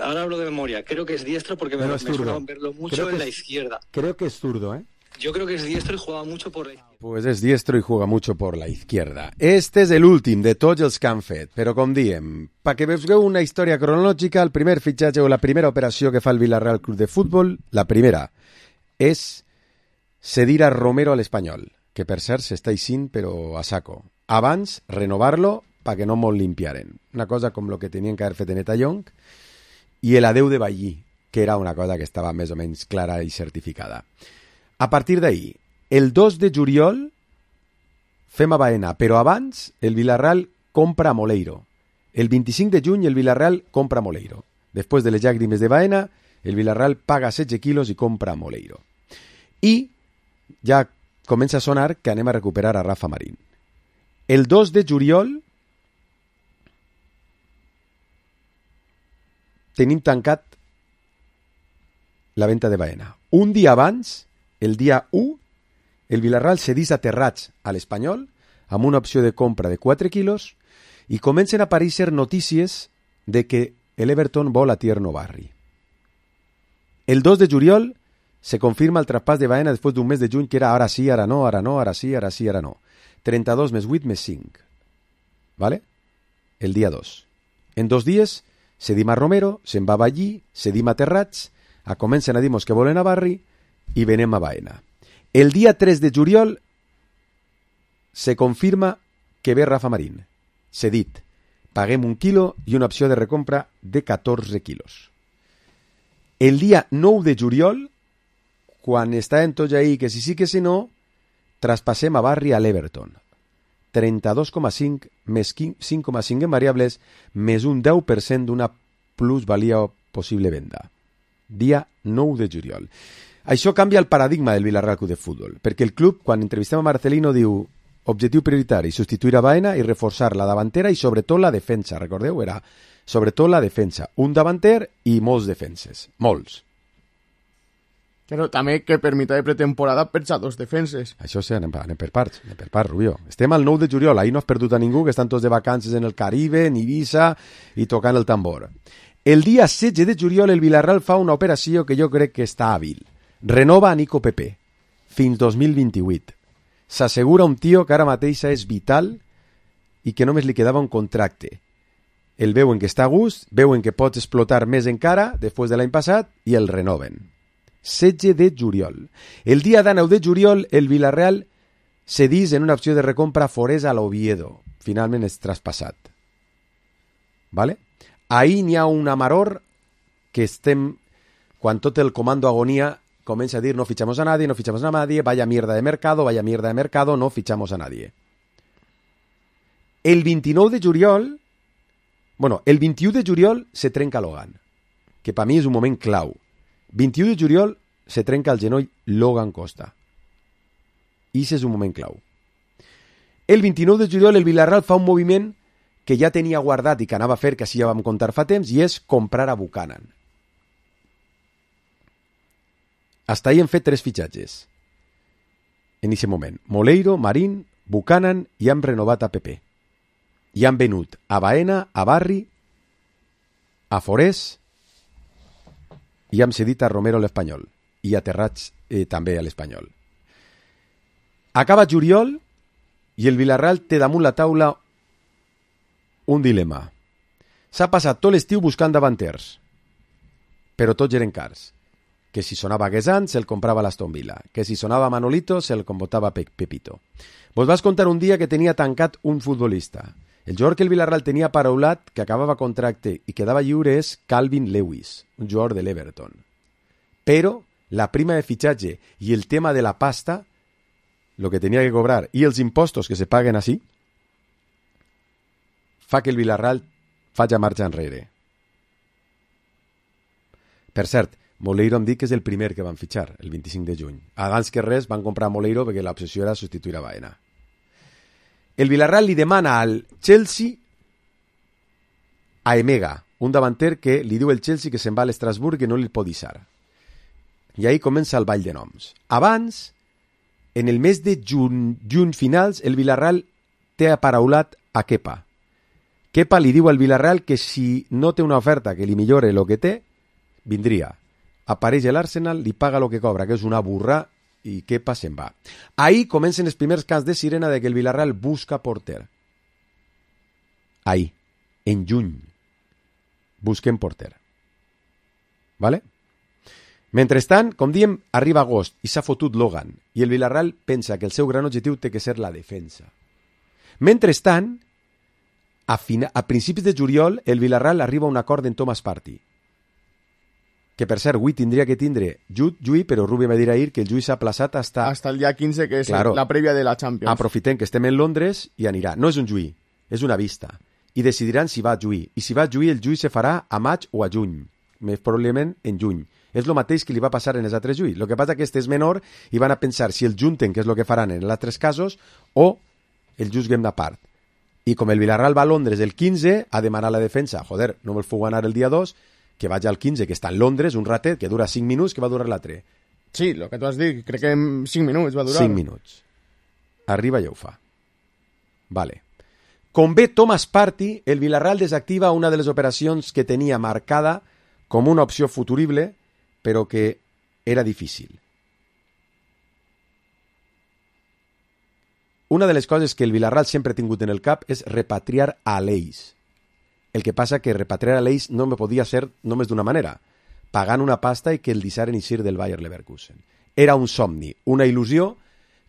Ahora hablo de memoria. Creo que es diestro porque me suena verlo mucho en la izquierda. Creo que es zurdo, ¿eh? Yo creo que es diestro y juega mucho por la izquierda. Pues és diestro i juega mucho por la izquierda. Este és l'últim de tots els que han fet, però com diem, perquè vegeu una història cronològica, el primer fitxatge o la primera operació que fa el Villarreal Club de Futbol, la primera, és cedir a Romero a l'Espanyol, que per cert s'està eixint però a saco. Abans, renovar-lo perquè no molt limpiaren. Una cosa com lo que tenien que haver fet en Etallong i el adeu de Ballí, que era una cosa que estava més o menys clara i certificada. A partir d'ahí, el 2 de juliol fem a Baena, però abans el Villarreal compra a Moleiro. El 25 de juny el Villarreal compra a Moleiro. Després de les llàgrimes de Baena, el Villarreal paga 16 quilos i compra a Moleiro. I ja comença a sonar que anem a recuperar a Rafa Marín. El 2 de juliol tenim tancat la venda de Baena. Un dia abans, el dia 1, el Villarreal cedís a Terrats a l'Espanyol amb una opció de compra de 4 quilos i comencen a aparèixer notícies de que l'Everton vol a Tierno Barri. El 2 de juliol se confirma el traspàs de Baena després d'un mes de juny que era ara sí, ara no, ara no, ara sí, ara sí, ara no. 32 més 8 més 5. ¿Vale? El dia 2. En 2 dies cedim a Romero, se'n va a Ballí, cedim a Terrats, comencen a dir-nos que volen a Barri i venem a Baena. El dia 3 de juliol se confirma que ve Rafa Marín. Cedit. Paguem 1 quilo i una opció de recompra de 14 quilos. El dia 9 de juliol, quan estàvem tots ahí que si sí que si no, traspassem a Barri a l'Everton. 32,5 més 5,5 en variables més un 10% d'una plusvalia possible venda. Dia 9 de juliol. Això canvia el paradigma del Villarreal Club de Futbol, perquè el club, quan entrevistem a Marcelino, diu objectiu prioritari, substituir a Baena i reforçar la davantera i sobretot la defensa. Recordeu? Era sobretot la defensa. Un davanter i molts defenses. Molts. Però també que per mitjà de pretemporada per a 2 defenses. Això sí, anem per parts, Rubio. Estem al 9 de juliol, ahir no has perdut a ningú, que estan tots de vacances en el Caribe, en Ibiza, i tocant el tambor. El dia 16 de juliol el Villarreal fa una operació que jo crec que està hàbil. Renova a Nico Pepe, fins 2028. S'assegura un tio que ara mateix és vital i que només li quedava un contracte. El veuen que està a gust, veuen que pots explotar més encara després de l'any passat i el renoven. 16 de juliol. El dia 9 de juliol el Villarreal cedís en una opció de recompra Forés a l'Oviedo. Finalment és traspassat. ¿Vale? Ahí n'hi ha un amaror que estem, quan tot el comando agonía comença a dir no fichamos a nadie, no fichamos a nadie, vaya mierda de mercado, no fichamos a nadie. El 29 de juliol, el 21 de juliol se trenca Logan, que per mi és un moment clau. 21 de juliol se trenca el genoll Logan Costa. I és un moment clau. El 29 de juliol el Villarreal fa un moviment que ja tenia guardat i que anava a fer, que així ja vam contar fa temps, i és comprar a Buchanan. Hasta ahí hem fet 3 fitxatges. En aquest moment. Moleiro, Marín, Buchanan i hem renovat a Pepe. I han venut a Baena, a Barri, a Forés i hem cedit a Romero a l'Espanyol i a Terrats també a l'Espanyol. Acaba juliol i el Villarreal té damunt la taula un dilema. S'ha passat tot l'estiu buscant davanters, però tots eren cars. Que si sonava Guesant, se'l comprava l'Aston Villa. Que si sonava Manolito, se'l convotava Pepito. Vos vas contar un dia que tenia tancat un futbolista. El jugador que el Villarreal tenia paraulat, que acabava contracte i quedava lliure, és Calvin Lewis, un jugador de l'Everton. Però la prima de fitxatge i el tema de la pasta, lo que tenia que cobrar, i els impostos que se paguen així, fa que el Villarreal faci marxa enrere. Per cert, Moleiro em dic que és el primer que van fitxar, el 25 de juny. Abans que res van comprar Moleiro perquè l'obsessió era substituir a Baena. El Villarreal li demana al Chelsea a Emega, un davanter que li diu el Chelsea que se'n va a l'Estrasburg i no li pot deixar. I ahí comença el ball de noms. Abans, en el mes de juny finals, el Villarreal té aparaulat a Kepa. Kepa li diu al Villarreal que si no té una oferta que li millore el que té, vindria. Apareix l'Arsenal, li paga el que cobra, que és una burra, i Kepa se'n va. Ahí comencen els primers cants de sirena de que el Villarreal busca porter. Ahí, en juny, busquen porter. ¿Vale? Mentrestant, com diem, arriba agost i s'ha fotut Logan, i el Villarreal pensa que el seu gran objectiu té que ser la defensa. Mentrestant, a principis de juliol, el Villarreal arriba a un acord en Thomas Partey, que per cert, avui tindria que tindre Jui, però Rubi va dir ahir que el Jui s'ha plaçat hasta el dia 15, que és la prèvia de la Champions. Aprofitem que estem en Londres i anirà. No és un Jui, és una vista. I decidiran si va a Jui. I si va a Jui, el Jui se farà a maig o a juny. Més probablement en juny. És el mateix que li va passar en els altres Jui. El que passa que este és menor i van a pensar si el junten, que és el que faran en els altres casos, o el juzguem d'apart. I com el Villarreal va a Londres el 15 a demanar la defensa, joder, no me'l puc anar el dia 2, que vaig al 15, que està en Londres, un ratet, que dura 5 minuts, que va durar l'altre. Sí, el que tu has dit, crec que en 5 minuts va durar. 5 minuts. Arriba i ho fa. Vale. Com ve Thomas Partey, el Villarreal desactiva una de les operacions que tenia marcada com una opció futurible, però que era difícil. Una de les coses que el Villarreal sempre ha tingut en el cap és repatriar a l'Eix. El que passa que repatriar a l'Eix no me podia ser només d'una manera, pagant una pasta i que el deixaren eixir del Bayer Leverkusen. Era un somni, una il·lusió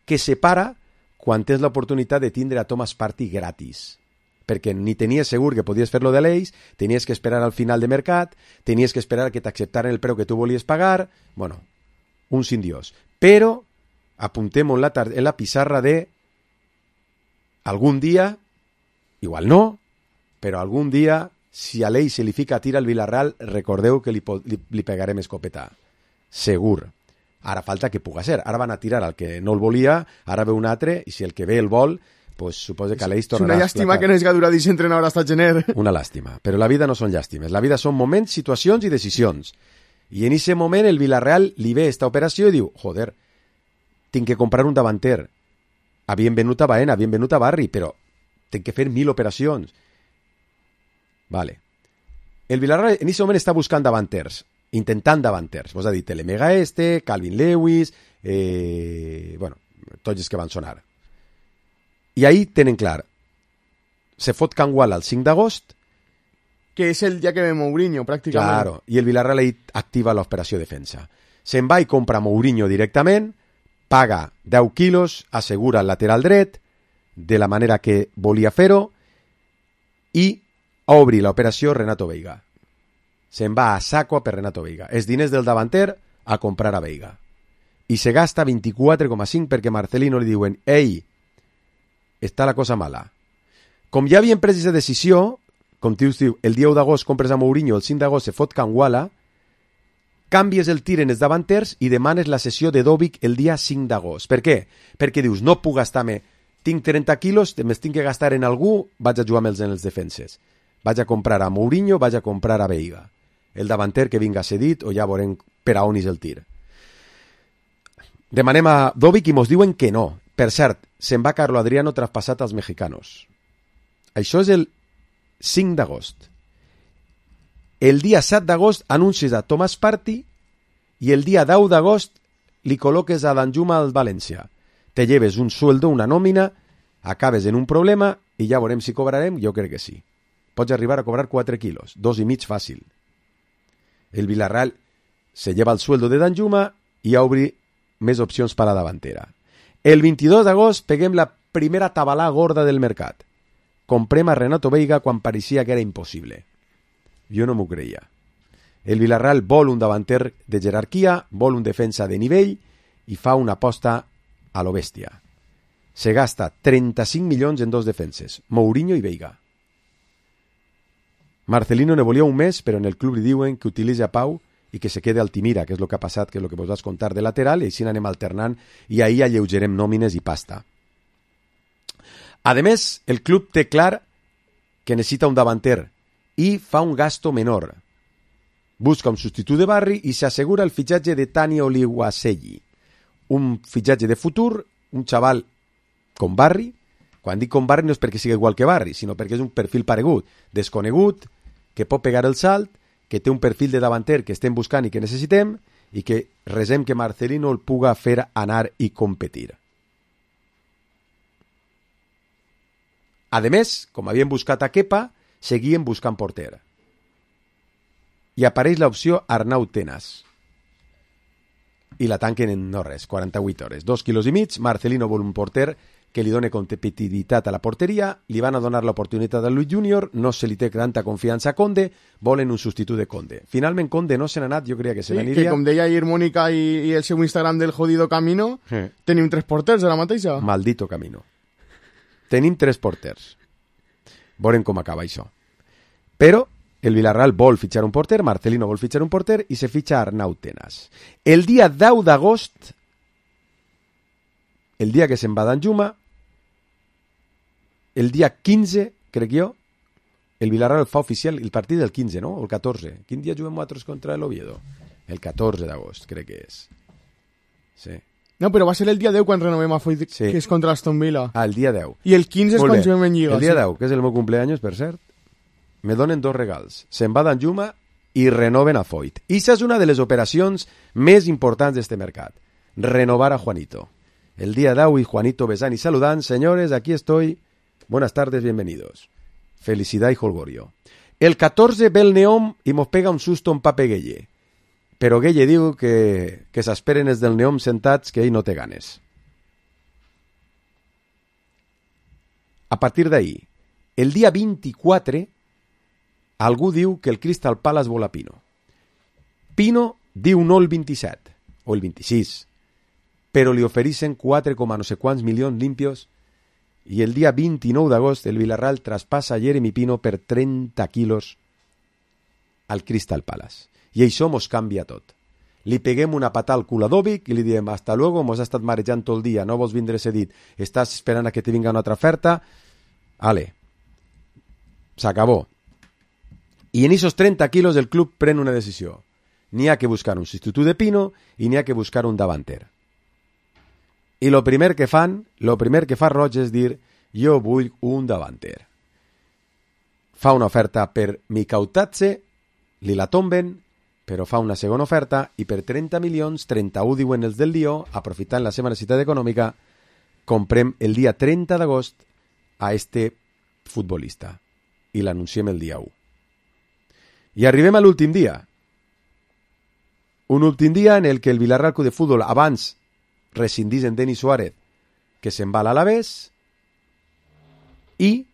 que separa quan tens l'oportunitat de tindre a Thomas Partey gratis. Perquè ni tenies segur que podies fer-lo de l'Eix, tenies que esperar al final de mercat, tenies que esperar que t'acceptaren el preu que tu volies pagar... Bueno, un sin Dios. Però apuntem-ho en la pissarra de algun dia, igual no, però algun dia, si a l'Eix se li fica a tir al Villarreal, recordeu que li pegarem escopeta. Segur. Ara falta que puga ser. Ara van a tirar al que no el volia, ara ve un altre, i si el que ve el vol, pues suposa que l'Eix tornarà a explotar. És una llàstima que no és Gaduradís entrenador hasta gener. Una làstima. Però la vida no són llàstimes. La vida són moments, situacions i decisions. I en aquest moment el Villarreal li ve esta operació i diu, joder, tinc que comprar un davanter. Havien venut a Baena, havien venut a Barri, però tinc que fer 1000 operacions. Vale. El Villarreal en aquest moment està buscant davanters, intentant davanters. Vos ha dit Telemega Calvin Lewis, bueno, tots els que van sonar. I ahí tenen clar, se fot Canguala el 5 d'agost, que és el dia que ve Mourinho, pràcticament. Claro, i el Villarreal ahí activa l'operació defensa. Se'n va i compra Mourinho directament, paga 10 quilos, assegura el lateral dret, de la manera que volia fer-ho, i obri l'operació Renato Veiga. Se'n va a saco per Renato Veiga. Els diners del davanter a comprar a Veiga. I se gasta 24,5 perquè Marcelino li diuen «Ei, està la cosa mala». Com ja havien pres aquesta decisió, com diu, el dia 1 d'agost compres a Mourinho, el 5 d'agost se fot Canguala, canvies el tir en els davanters i demanes la sessió de Dovic el dia 5 d'agost. Per què? Perquè dius, no puc gastar-me, tinc 30 quilos, me'ls tinc que gastar en algú, vaig a jugar amb els defenses. Vaig a comprar a Mourinho, vaig a comprar a Veiga. El davanter que vinga cedit o ja veurem per a on és el tir. Demanem a Dovic i mos diuen que no. Per cert, se'n va Carlo Adriano traspassat als mexicanos. Això és el 5 d'agost. El dia 7 d'agost anuncies a Thomas Partey i el dia 10 d'agost li col·loques a Danjuma al València. Te lleves un sueldo, una nòmina, acabes en un problema i ja veurem si cobrarem, jo crec que sí. Pots arribar a cobrar 4 quilos, 2,5 fàcil. El Villarreal se lleva el sueldo de Danjuma i obri més opcions per a la davantera. El 22 d'agost peguem la primera tabalà gorda del mercat. Comprem a Renato Veiga quan pareixia que era impossible. Jo no m'ho creia. El Villarreal vol un davanter de jerarquia, vol un defensa de nivell i fa una aposta a lo bèstia. Se gasta 35 milions en 2 defenses, Mourinho i Veiga. Marcelino ne volia un mes, però en el club li diuen que utilitzi a Pau i que se quede Altimira, que és el que ha passat, que és el que vos vas contar de lateral, i així anem alternant i ahir alleugerem nòmines i pasta. A més, el club té clar que necessita un davanter i fa un gasto menor. Busca un substitut de Barri i s'assegura el fitxatge de Tani Oliwaselli. Un fitxatge de futur, un xaval com Barri. Quan dic com Barri no és perquè sigui igual que Barri, sinó perquè és un perfil paregut, desconegut, que pot pegar el salt, que té un perfil de davanter que estem buscant i que necessitem, i que resem que Marcelino el puga fer anar i competir. A més, com havien buscat a Kepa, seguien buscant porter. I apareix l'opció Arnau Tenas. I la tanquen en no res, 48 hores. 2,5 quilos. Marcelino vol un porter que li doni competitivitat a la porteria, li van a donar l'oportunitat a Luis Junior, no se li té tanta confiança a Conde, volen un substitut de Conde. Finalment Conde no se n'ha anat, jo creia que se n'aniria. Que com deia ahir Mónica i el seu Instagram del jodido Camino, tenim 3 porters de la mateixa. Maldito Camino. Tenim 3 porters. Veurem com acaba això. Però el Villarreal vol fitxar un porter, Marcelino vol fitxar un porter i se fitxa Arnau Tenas. El dia 10 d'agost, el dia que se'n va Danjuma, el dia 15, crec jo, el Villarreal fa oficial el partit del 15, no? O el 14. Quin dia juguem nosaltres contra el Oviedo? El 14 d'agost, crec que és. Sí. No, però va ser el dia 10 quan renovem a Foyt, sí, que és contra l'Aston Villa. Ah, el dia 10. I el 15 és quan juguem en Lliga. El dia 10, que és el meu cumpleaños, per cert, me donen 2 regals. Se'n va Danjuma i renoven a Foyt. I això és una de les operacions més importants d'este mercat. Renovar a Juanito. El día de hoy, Juanito besant y saludant. Señores, aquí estoy. Buenas tardes, bienvenidos. Felicidad y holgorio. El 14 ve el Neom y mos pega un susto en Pape Gueye. Però Gueye diu que s'esperen els del Neom sentats, que ell no té ganes. A partir d'ahí, el dia 24, algú diu que el Crystal Palace vol a Pino. Pino diu no el 27, o el 26, però li ofereixen 4, no sé quants milions limpios, i el dia 29 d'agost el Villarreal traspassa a Jeremy Pino per 30 quilos al Crystal Palace. I això mos canvia tot. Li peguem una patada al cul a Dovic i li diem hasta luego, mos ha estat marejant tot el dia, no vols vindre cedit, estàs esperant a que te vinga una altra oferta, ale, s'acabó. I en esos 30 quilos el club pren una decisió. N'hi ha que buscar un substitut de Pino i n'hi ha que buscar un davanter. I lo primer que fa Roig és dir jo vull un davanter. Fa una oferta per Mikautatze, li la tomben, però fa una segona oferta i per 30 milions, 31 diuen els del Lió, aprofitant la seva necessitat econòmica, comprem el dia 30 d'agost a este futbolista i l'anunciem el dia 1. I arribem a l'últim dia. Un últim dia en el que el Villarreal Club de Futbol abans rescindís en Denis Suárez, que se'n va a l'Alavés, i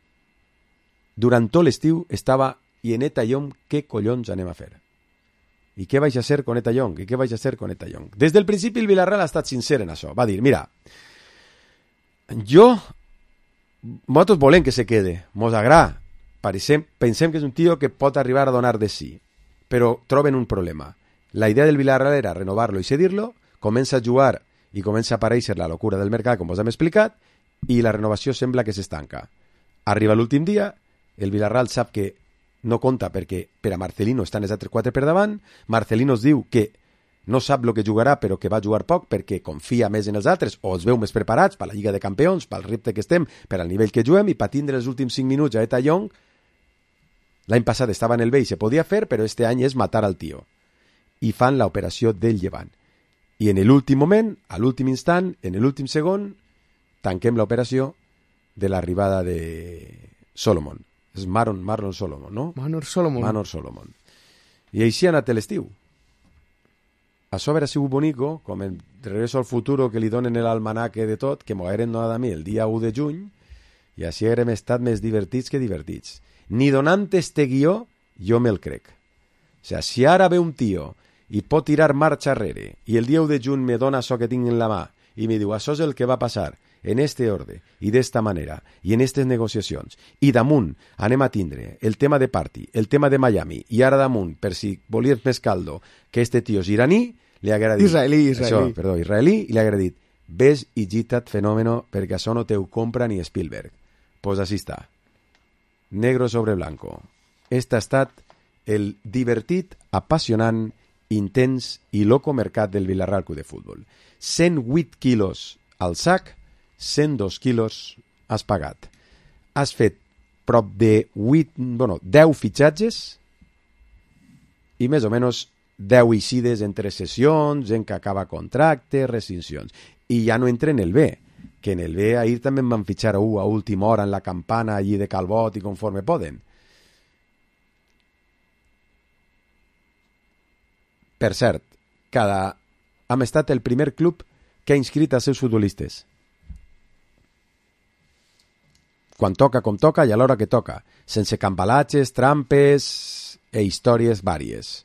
durant tot l'estiu estava i en Eta Young, què collons anem a fer? I què vaig a hacer con Eta Young? I què vaig a hacer con Eta Young? Des del principi el Villarreal ha estat sincer en això. Va dir, mira, nosaltres volem que se quede, mos agrada, pensem que és un tio que pot arribar a donar de sí, però troben un problema. La idea del Villarreal era renovar-lo i cedir-lo, comença a jugar i comença a aparèixer la locura del mercat, com us hem explicat, i la renovació sembla que s'estanca. Arriba l'últim dia, el Villarreal sap que no compta perquè per a Marcelino estan els altres 4 per davant, Marcelino es diu que no sap el que jugarà però que va jugar poc perquè confia més en els altres o els veu més preparats per la Lliga de Campions, pel repte que estem, per al nivell que juguem i per tindre els últims 5 minuts a Eta Young. L'any passat estava en el B i se podia fer, però este any és matar al tio. I fan l'operació del Llevant. I en l'últim moment, a l'últim instant, en l'últim segon, tanquem l'operació de l'arribada de Solomon. És Marlon Solomon, no? Manor Solomon. I així ha anat l'estiu. Això haurà sigut bonico, com el Regreso al Futuro que li donen l'almanaque de tot, que m'ho hagueren donat a mi el dia 1 de juny, i així haurem estat més divertits que divertits. Ni donant este guió, jo me'l crec. O sigui, si ara ve un tio i pot tirar marxa arrere, i el dia 1 de juny me dona això que tinc en la mà, i me diu, això és el que va passar, en este orde, i d'esta manera, i en aquestes negociacions, i damunt anem a tindre el tema de Party, el tema de Miami, i ara damunt, per si volies més caldo, que este tio és iraní, li haguera dit... Israelí, i li haguera dit, ves i gitat fenòmeno, perquè això no teu compra ni Spielberg. Pues així està. Negro sobre blanco. Este ha estat el divertit, apassionant, intens i loco mercat del Villarreal Club de Futbol. 108 quilos al sac, 102 quilos has pagat. Has fet prop de 10 fitxatges i més o menys 10 eixides entre sessions, en que acaba contracte, rescissions. I ja no entra en el B, que en el B ahir també em van fitxar a última hora en la campana allí de Calbot i conforme poden. Per cert, hem estat el primer club que ha inscrit els seus futbolistes. Quan toca, com toca, i a l'hora que toca, sense cambalatges, trampes e històries vàries.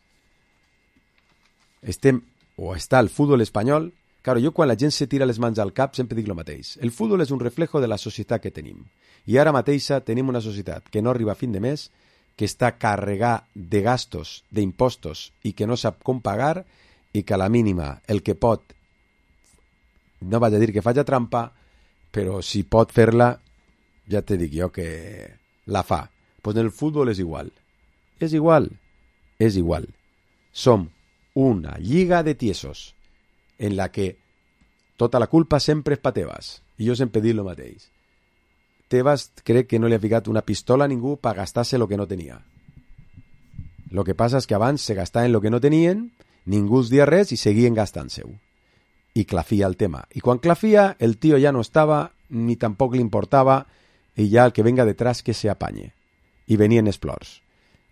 Està el futbol espanyol. Claro, jo quan la gent se tira les mans al cap sempre dic el mateix. El futbol és un reflejo de la societat que tenim. I ara mateixa tenim una societat que no arriba a fin de mes, que està carregada de gastos, d'impostos, i que no sap com pagar, i que a la mínima el que pot, no vaig a dir que faci trampa, però si pot fer-la, ja te dic jo que la fa. Pues en el futbol és igual. És igual. Som una lliga de tiesos en la que tota la culpa sempre és pa Tebas. I jo sempre dic el mateix. Tebas crec que no li ha ficat una pistola a ningú per gastar-se el que no tenia. Lo que passa és que abans se gastaven el que no tenien, ningú els dia res i seguien gastant-se-ho. I clafia el tema. I quan clafia, el tio ja no estava, ni tampoc li importava, i ja el que venga detrás que se apanye. I venien els plors.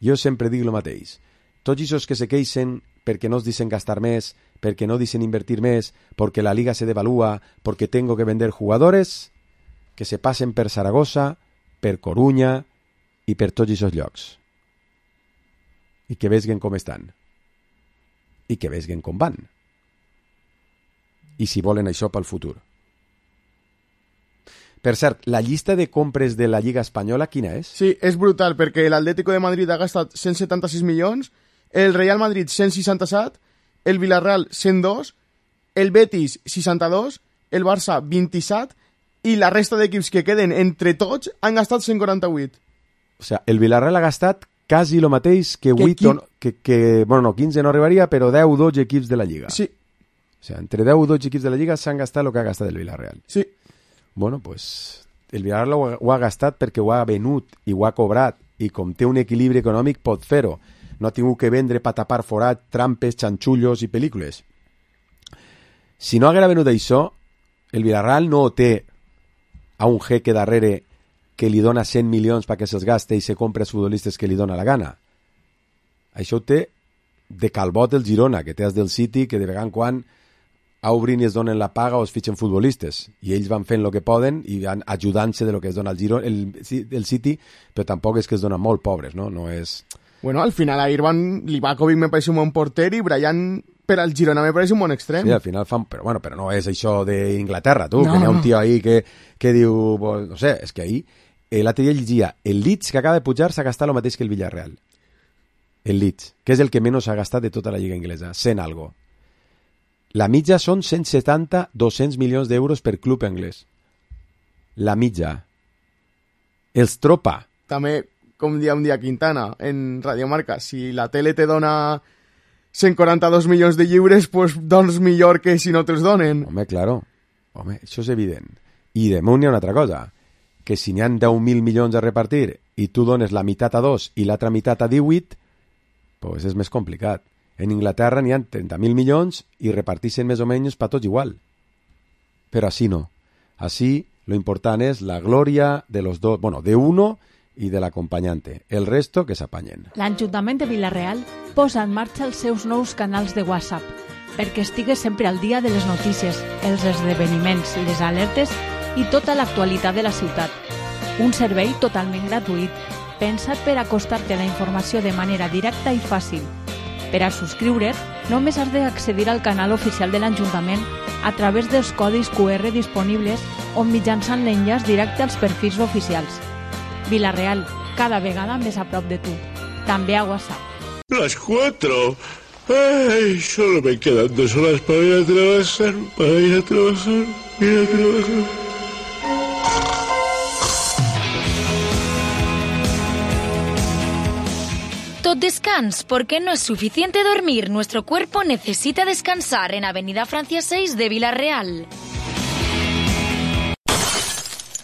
Jo sempre dic el mateix. Tots aquests que se queixen perquè no es dicen gastar més, perquè no dicen invertir més, perquè la liga se devalúa, perquè tengo que vender jugadores, que se passen per Saragossa, per Corunya i per tots aquests llocs. I que veguen com estan. I que veguen com van. I si volen això pel futur. Per cert, la llista de compres de la Lliga Espanyola quina és? Sí, és brutal, perquè l'Atlético de Madrid ha gastat 176 milions, el Real Madrid 167, el Villarreal 102, el Betis 62, el Barça 27 i la resta d'equips que queden entre tots han gastat 148. O sigui, el Villarreal ha gastat quasi el mateix que 8, bueno, 15 no arribaria, però 10-12 equips de la Lliga. Sí. O sigui, entre 10 o 12 equips de la Lliga s'han gastat el que ha gastat el Villarreal. Sí. Bueno, pues el Villarreal ho ha gastat perquè ho ha venut i ho ha cobrat i com té un equilibri econòmic pot fer-ho. No ha tingut que vendre per tapar forat, trampes, xanxullos i pel·lícules. Si no haguera venut això, el Villarreal no té a un jeque darrere que li dona 100 milions perquè se'ls gaste i se compra els futbolistes que li dona la gana. Això ho té de calbot el Girona, que té els del City, que de vegada en quan obrin i es donen la paga o es fitxen futbolistes. I ells van fent el que poden i van ajudant-se de lo que es dona el City, però tampoc és que es donen molt pobres, no? No és... Bueno, al final a Irvan Livakovic me parece un bon porter i Brian per al Girona me parece un bon extrem. Sí, al final fan... Però bueno, però no és això d'Inglaterra, tu, no, que hi ha un tio ahí que diu... No sé, és que ahir l'altre dia llegia el Leeds, que acaba de pujar, s'ha gastat el mateix que el Villarreal. El Leeds, que és el que menys s'ha gastat de tota la lliga inglesa, 100 algo. La mitja són 170-200 milions d'euros per club anglès. La mitja. Els tropa. També, com dia un dia Quintana, en Radio Marca, si la tele te dona 142 milions de lliures, pues doncs millor que si no te'ls donen. Home, claro. Home, això és evident. I damunt hi ha una altra cosa, que si n'hi ha 10.000 milions a repartir i tu dones la meitat a 2 i l'altra meitat a 18, pues és més complicat. En Inglaterra n'hi ha 30.000 milions i repartixen més o menys per tots igual. Però així no. Així, lo important és la glòria de los dos, bueno, de uno i de l'acompanyante. El resto que s'apanyen. L'Ajuntament de Vila-real posa en marxa els seus nous canals de WhatsApp perquè estigues sempre al dia de les notícies, els esdeveniments i les alertes i tota l'actualitat de la ciutat. Un servei totalment gratuït, pensat per acostar-te a la informació de manera directa i fàcil. Per a subscriure't, només has d'accedir al canal oficial de l'Ajuntament a través dels codis QR disponibles o mitjançant l'enllaç directe als perfils oficials. Vila-real, cada vegada més a prop de tu. També a WhatsApp. Las 4. Ay, solo me quedan 2 horas para ir a trabajar. Tot descans, porque no es suficiente dormir. Nuestro cuerpo necesita descansar en Avenida Francia 6 de Vila-real.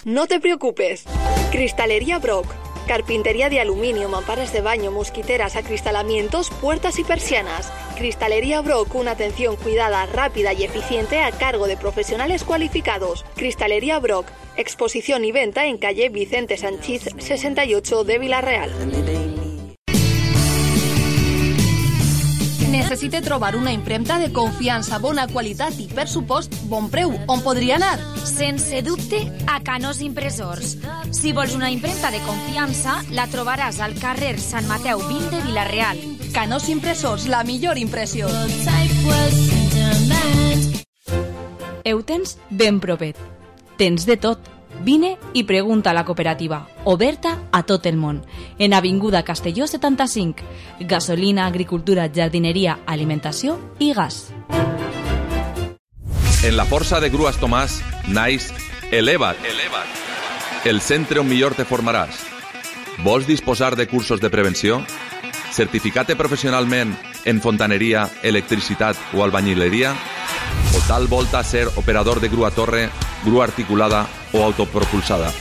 No te preocupes. Cristalería Brock. Carpintería de aluminio, mamparas de baño, mosquiteras, acristalamientos, puertas y persianas. Cristalería Brock, una atención cuidada, rápida y eficiente a cargo de profesionales cualificados. Cristalería Brock, exposición y venta en calle Vicente Sanchís 68 de Vila-real. Necessite trobar una impremta de confiança, bona qualitat i, per supost, bon preu. On podria anar? Sense dubte, a Canós Impressors. Si vols una impremta de confiança, la trobaràs al carrer Sant Mateu 20 de Vila-real. Canós Impressors, la millor impressió. Ho tens ben propet. Tens de tot. Vine i pregunta a la cooperativa, oberta a tot el món, en Avinguda Castelló 75, gasolina, agricultura, jardineria, alimentació i gas. En la força de Grues Tomàs naix Eleva't, el centre on millor te formaràs. Vols disposar de cursos de prevenció? Certificat professionalment en fontaneria, electricitat o albañileria? O tal volta ser operador de grua torre, grua articulada o autopropulsada?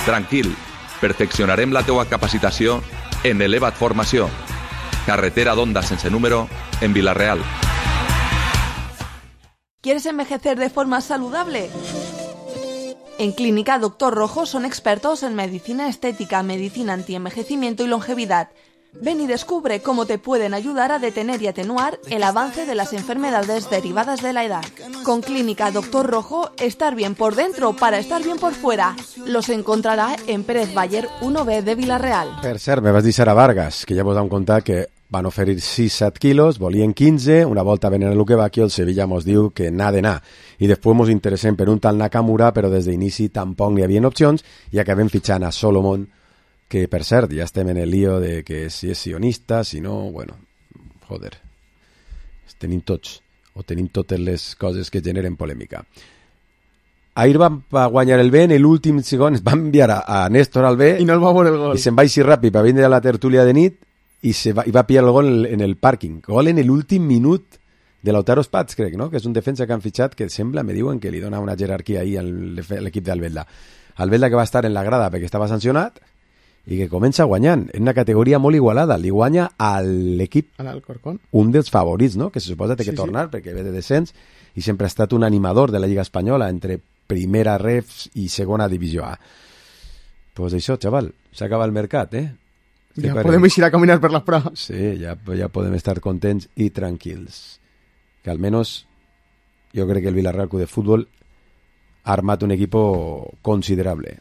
Tranquil, perfeccionarem la teua capacitació en Eleva't Formació. carretera d'Onda sense número, en Vila-real. ¿Quieres envejecer de forma saludable? En Clínica Doctor Rojo son expertos en medicina estética, medicina antienvejecimiento y longevidad. Ven y descubre cómo te pueden ayudar a detener y atenuar el avance de las enfermedades derivadas de la edad. Con Clínica Doctor Rojo, estar bien por dentro para estar bien por fuera. Los encontrarà en Pérez Baller 1B de Vila-real. Per cert, me vas dir Sara Vargas, que ja vos vam contar que van oferir 6-7 quilos, volien 15, una volta venen a Luquevaquio, el Sevilla mos diu que n'ha d'anar. I després mos interessem per un tal Nakamura, però des d'inici tampoc n'hi havia opcions i acabem fitxant a Solomon, que per cert ja estem en el lío de que si és sionista, si no, bueno, joder, tenim tots, o tenim totes les coses que generen polèmica. Ahir van guanyar el B, en l'últim segon es va enviar a Néstor al B i no el va veure el gol. I se'n va així ràpid per vindre a la tertúlia de nit i va pillar el gol en el pàrquing. Gol en l'últim minut de Lautaro Spats, crec, no? Que és un defensa que han fitxat que sembla, me diuen, que li dona una jerarquia ahí a l'equip d'Albelda. Albelda que va estar en la grada perquè estava sancionat i que comença guanyant en una categoria molt igualada. Li guanya a l'equip, un dels favorits, no? Que se suposa que té que tornar perquè ve de descens i sempre ha estat un animador de la Lliga Espanyola entre primera ref i segona divisió A. Pues això, xaval, s'acaba el mercat, eh? Ja podem ir a caminar per les praves. Sí, ja podem estar contents i tranquils. Que almenys jo crec que el Vila-real Club de Futbol ha armat un equipo considerable.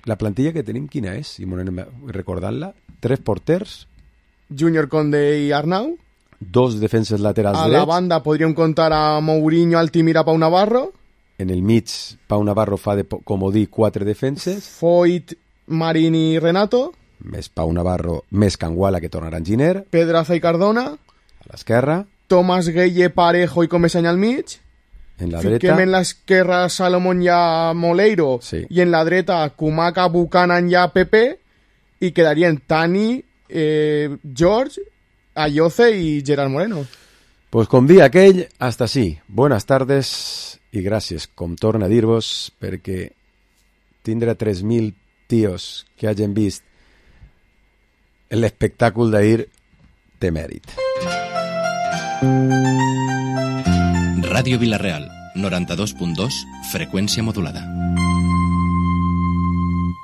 La plantilla que tenim, quina és? Si m'ho anem recordant-la. 3 porters. Júnior Conde i Arnau. 2 defenses laterals drets. A la banda podríem contar a Mourinho, Altimira, Pau Navarro. En el mig, Pau Navarro fa de comodí 4 defenses. Foyt, Marín i Renato. Més Pau Navarro, més Canguala, que tornarà Giner. Pedraza i Cardona. A l'esquerra. Tomàs Gueye, Parejo i Comesany al mig. En la dreta. Fiquem en l'esquerra Salomón i a Moleiro. Sí. I en la dreta Kumaca, Buchanan i a Pepe. I quedarien Tani, George, Ayoce i Gerard Moreno. Pues com dia aquell, hasta sí. Buenas tardes i gràcies, com torna a dir-vos, perquè tindre 3.000 tios que hagin vist l'espectacle d'ahir té mèrit. Ràdio Vila-real, 92.2, freqüència modulada.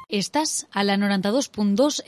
Estàs a la 92.2